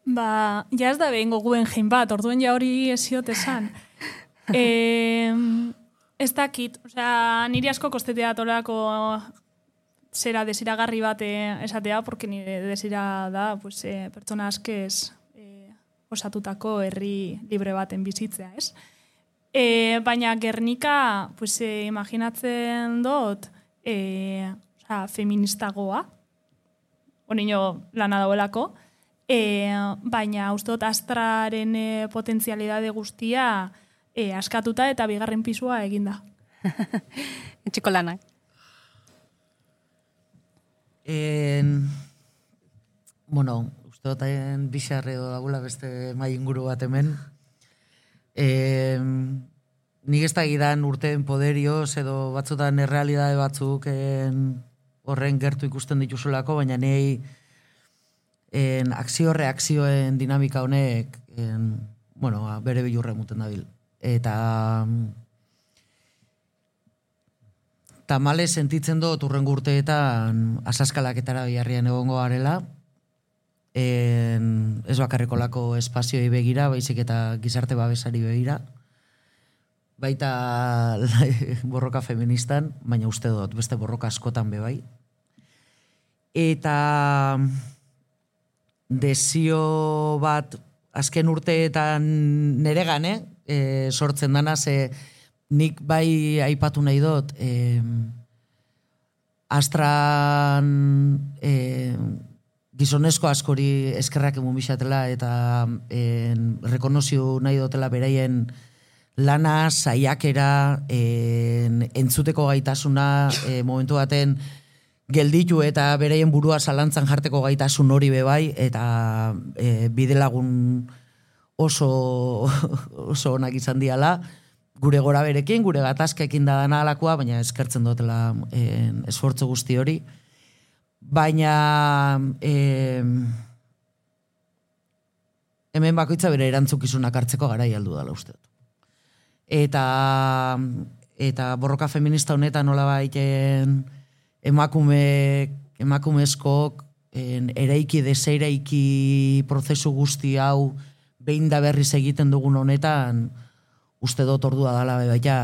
Ba, ja ez da behin goguen jein bat, orduen ja hori esiot esan. E, ez dakit, osea, niri asko kostetea tolako zera desiragarri bat esatea, porque nire desira da, pues, e, pertsona askez e, osatutako herri libre baten bizitzea, ez? E, baina Gernika, pues, e, imaginatzen dut, e, osea, feministagoa, onino lana dauelako, E, baina uste dut Astraren e, potentzialidade guztia e, askatuta eta bigarren pisua eginda. Etxiko lanak. En, bueno, uste dut haien bixarre edo dagula beste mai inguru bat hemen. En, nik ez da gidan urteen poderioz edo batzutan errealidade batzuk en, horren gertu ikusten dituzulako, baina nei en akzio-reakzioen dinamika honek en, bueno, bere bilurre muten dabil. Eta tamale sentitzen dut urrengo urteetan asaskalaketara biharrian egongo garela, en, ez bakarrikolako espazioi begira, baizik eta gizarte babesari begira, baita borroka feministan, baina uste dut beste borroka askotan bebai. Eta desio bat azken urteetan nere gane, e, sortzen dana, ze nik bai aipatu nahi dut, e, Astran e, gizonezko askori eskerrak emun bixatela eta e, rekonozio nahi dutela beraien lana, saiakera, e, entzuteko gaitasuna, e, momentu baten gelditu eta bereien burua zalantzan jarteko gaitasun hori bebai, eta e, bidelagun oso, oso onak izan diala, gure gora berekin, gure gatazkekin da dana alakoa, baina eskertzen dutela e, esfortzu guzti hori. Baina e, hemen bakoitza bere erantzukizunak hartzeko garai aldu dela uste dut. Eta, eta borroka feminista honetan nola baiten emakume, emakumezkok en, eraiki deseiraiki prozesu guzti hau behin da berriz egiten dugun honetan uste dut ordua dala bebaita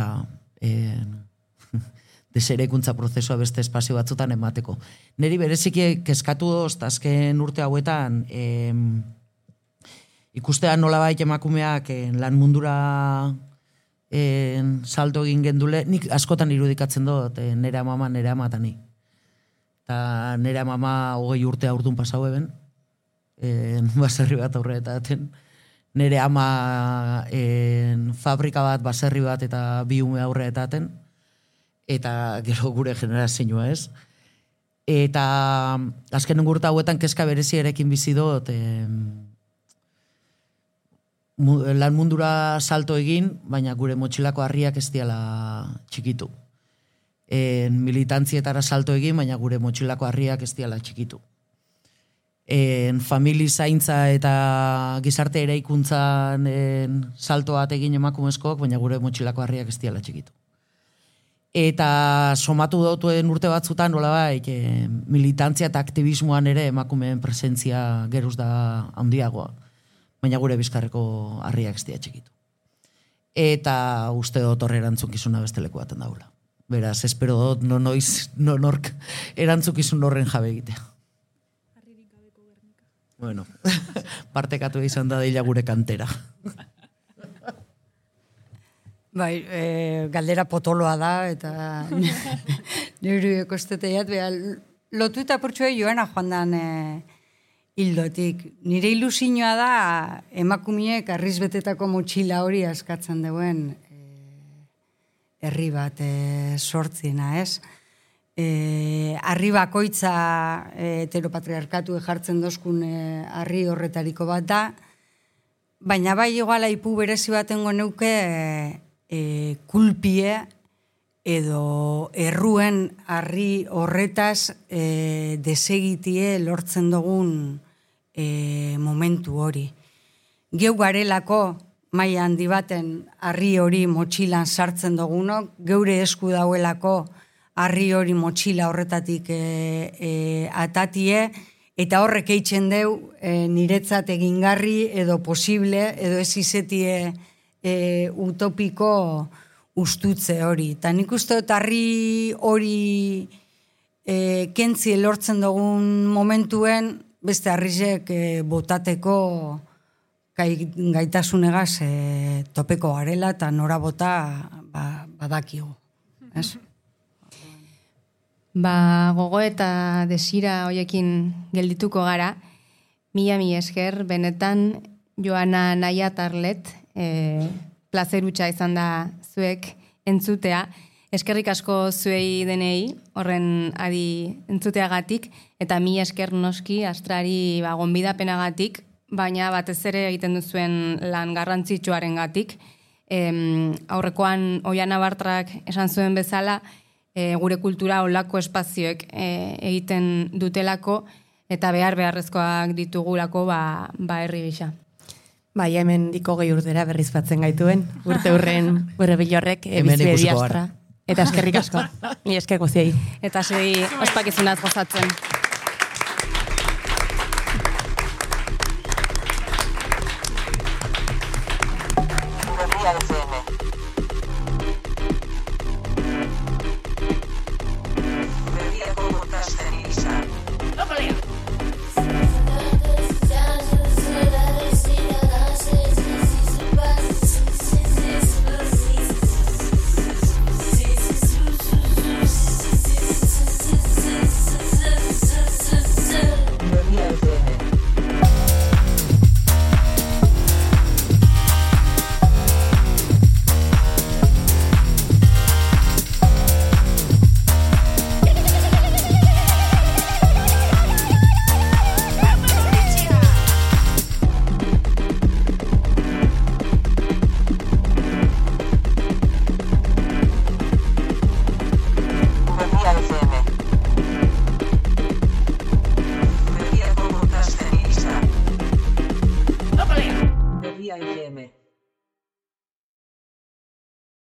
desereikuntza prozesua beste espazio batzutan emateko. Neri bereziki kezkatu doz, azken urte hauetan em, ikustean nola baita emakumeak en, lan mundura en, salto egin gendule, nik askotan irudikatzen dut en, nere amama, nere amatani. Eta nire mama hogei urte aurtun pasau eben, en, baserri bat aurre-eta daten. Nire ama en, fabrika bat, baserri bat eta bi ume aurre-eta daten. Eta gero gure generazioa ez. Eta azken urte hauetan kezka berezi erekin bizi dut, en, lan mundura salto egin, baina gure motxilako harriak ez diala txikitu. En militantzietara salto egin, baina gure motxilako harriak ez diala txikitu. En famili zaintza eta gizarte eraikuntzan en, salto bat egin emakumezkoak, baina gure motxilako harriak ez diala txikitu. Eta somatu dautuen urte batzutan, nola bai, e, militantzia eta aktivismoan ere emakumeen presentzia geruz da handiagoa, baina gure bizkarreko harriak ez diala txikitu. Eta uste dut horre erantzunkizuna beste leku baten daula. Beraz, espero dut, no noiz, no nork erantzukizun horren jabe egitea. Harririk gabeko Gernika. Bueno, partekatu izan da deila gure kantera. Bai, e, galdera potoloa da, eta nire ekosteteiat, beha, lotu eta purtsua joana joan dan e, hildotik. Nire ilusioa da, emakumiek arrizbetetako motxila hori askatzen duen e, herri bat e, sortzina, ez? E, arri bakoitza e, heteropatriarkatu jartzen dozkun e, arri horretariko bat da, baina bai iguala ipu berezi batengo neuke e, e, kulpie edo erruen arri horretaz e, desegitie lortzen dugun e, momentu hori. Geu garelako maila handi baten arri hori motxilan sartzen dugunok, geure esku dauelako arri hori motxila horretatik e, e, atatie, eta horrek eitzen deu e, niretzat egingarri edo posible, edo ez izetie e, utopiko ustutze hori. Eta nik uste dut arri hori e, kentzi lortzen dugun momentuen, beste arrizek e, botateko gaitasunegaz e, topeko garela, eta nora bota ba, badakigu. Ez? Ba, gogo eta desira hoiekin geldituko gara, mila mi esker, benetan Joana Naia Tarlet, e, plazerutxa izan da zuek entzutea, eskerrik asko zuei denei, horren adi entzuteagatik, eta mila esker noski astrari ba, gonbidapenagatik, baina batez ere egiten duzuen lan garrantzitsuaren gatik. E, aurrekoan Oiana Bartrak esan zuen bezala, E, gure kultura olako espazioek e, egiten dutelako eta behar beharrezkoak ditugulako ba, ba herri gisa. Bai, hemen diko gehi urtera berriz batzen gaituen, urte hurren gure bilorrek, e, bizbedi astra. Eta eskerrik asko, ni esker goziei. Eta segi ospakizunaz gozatzen.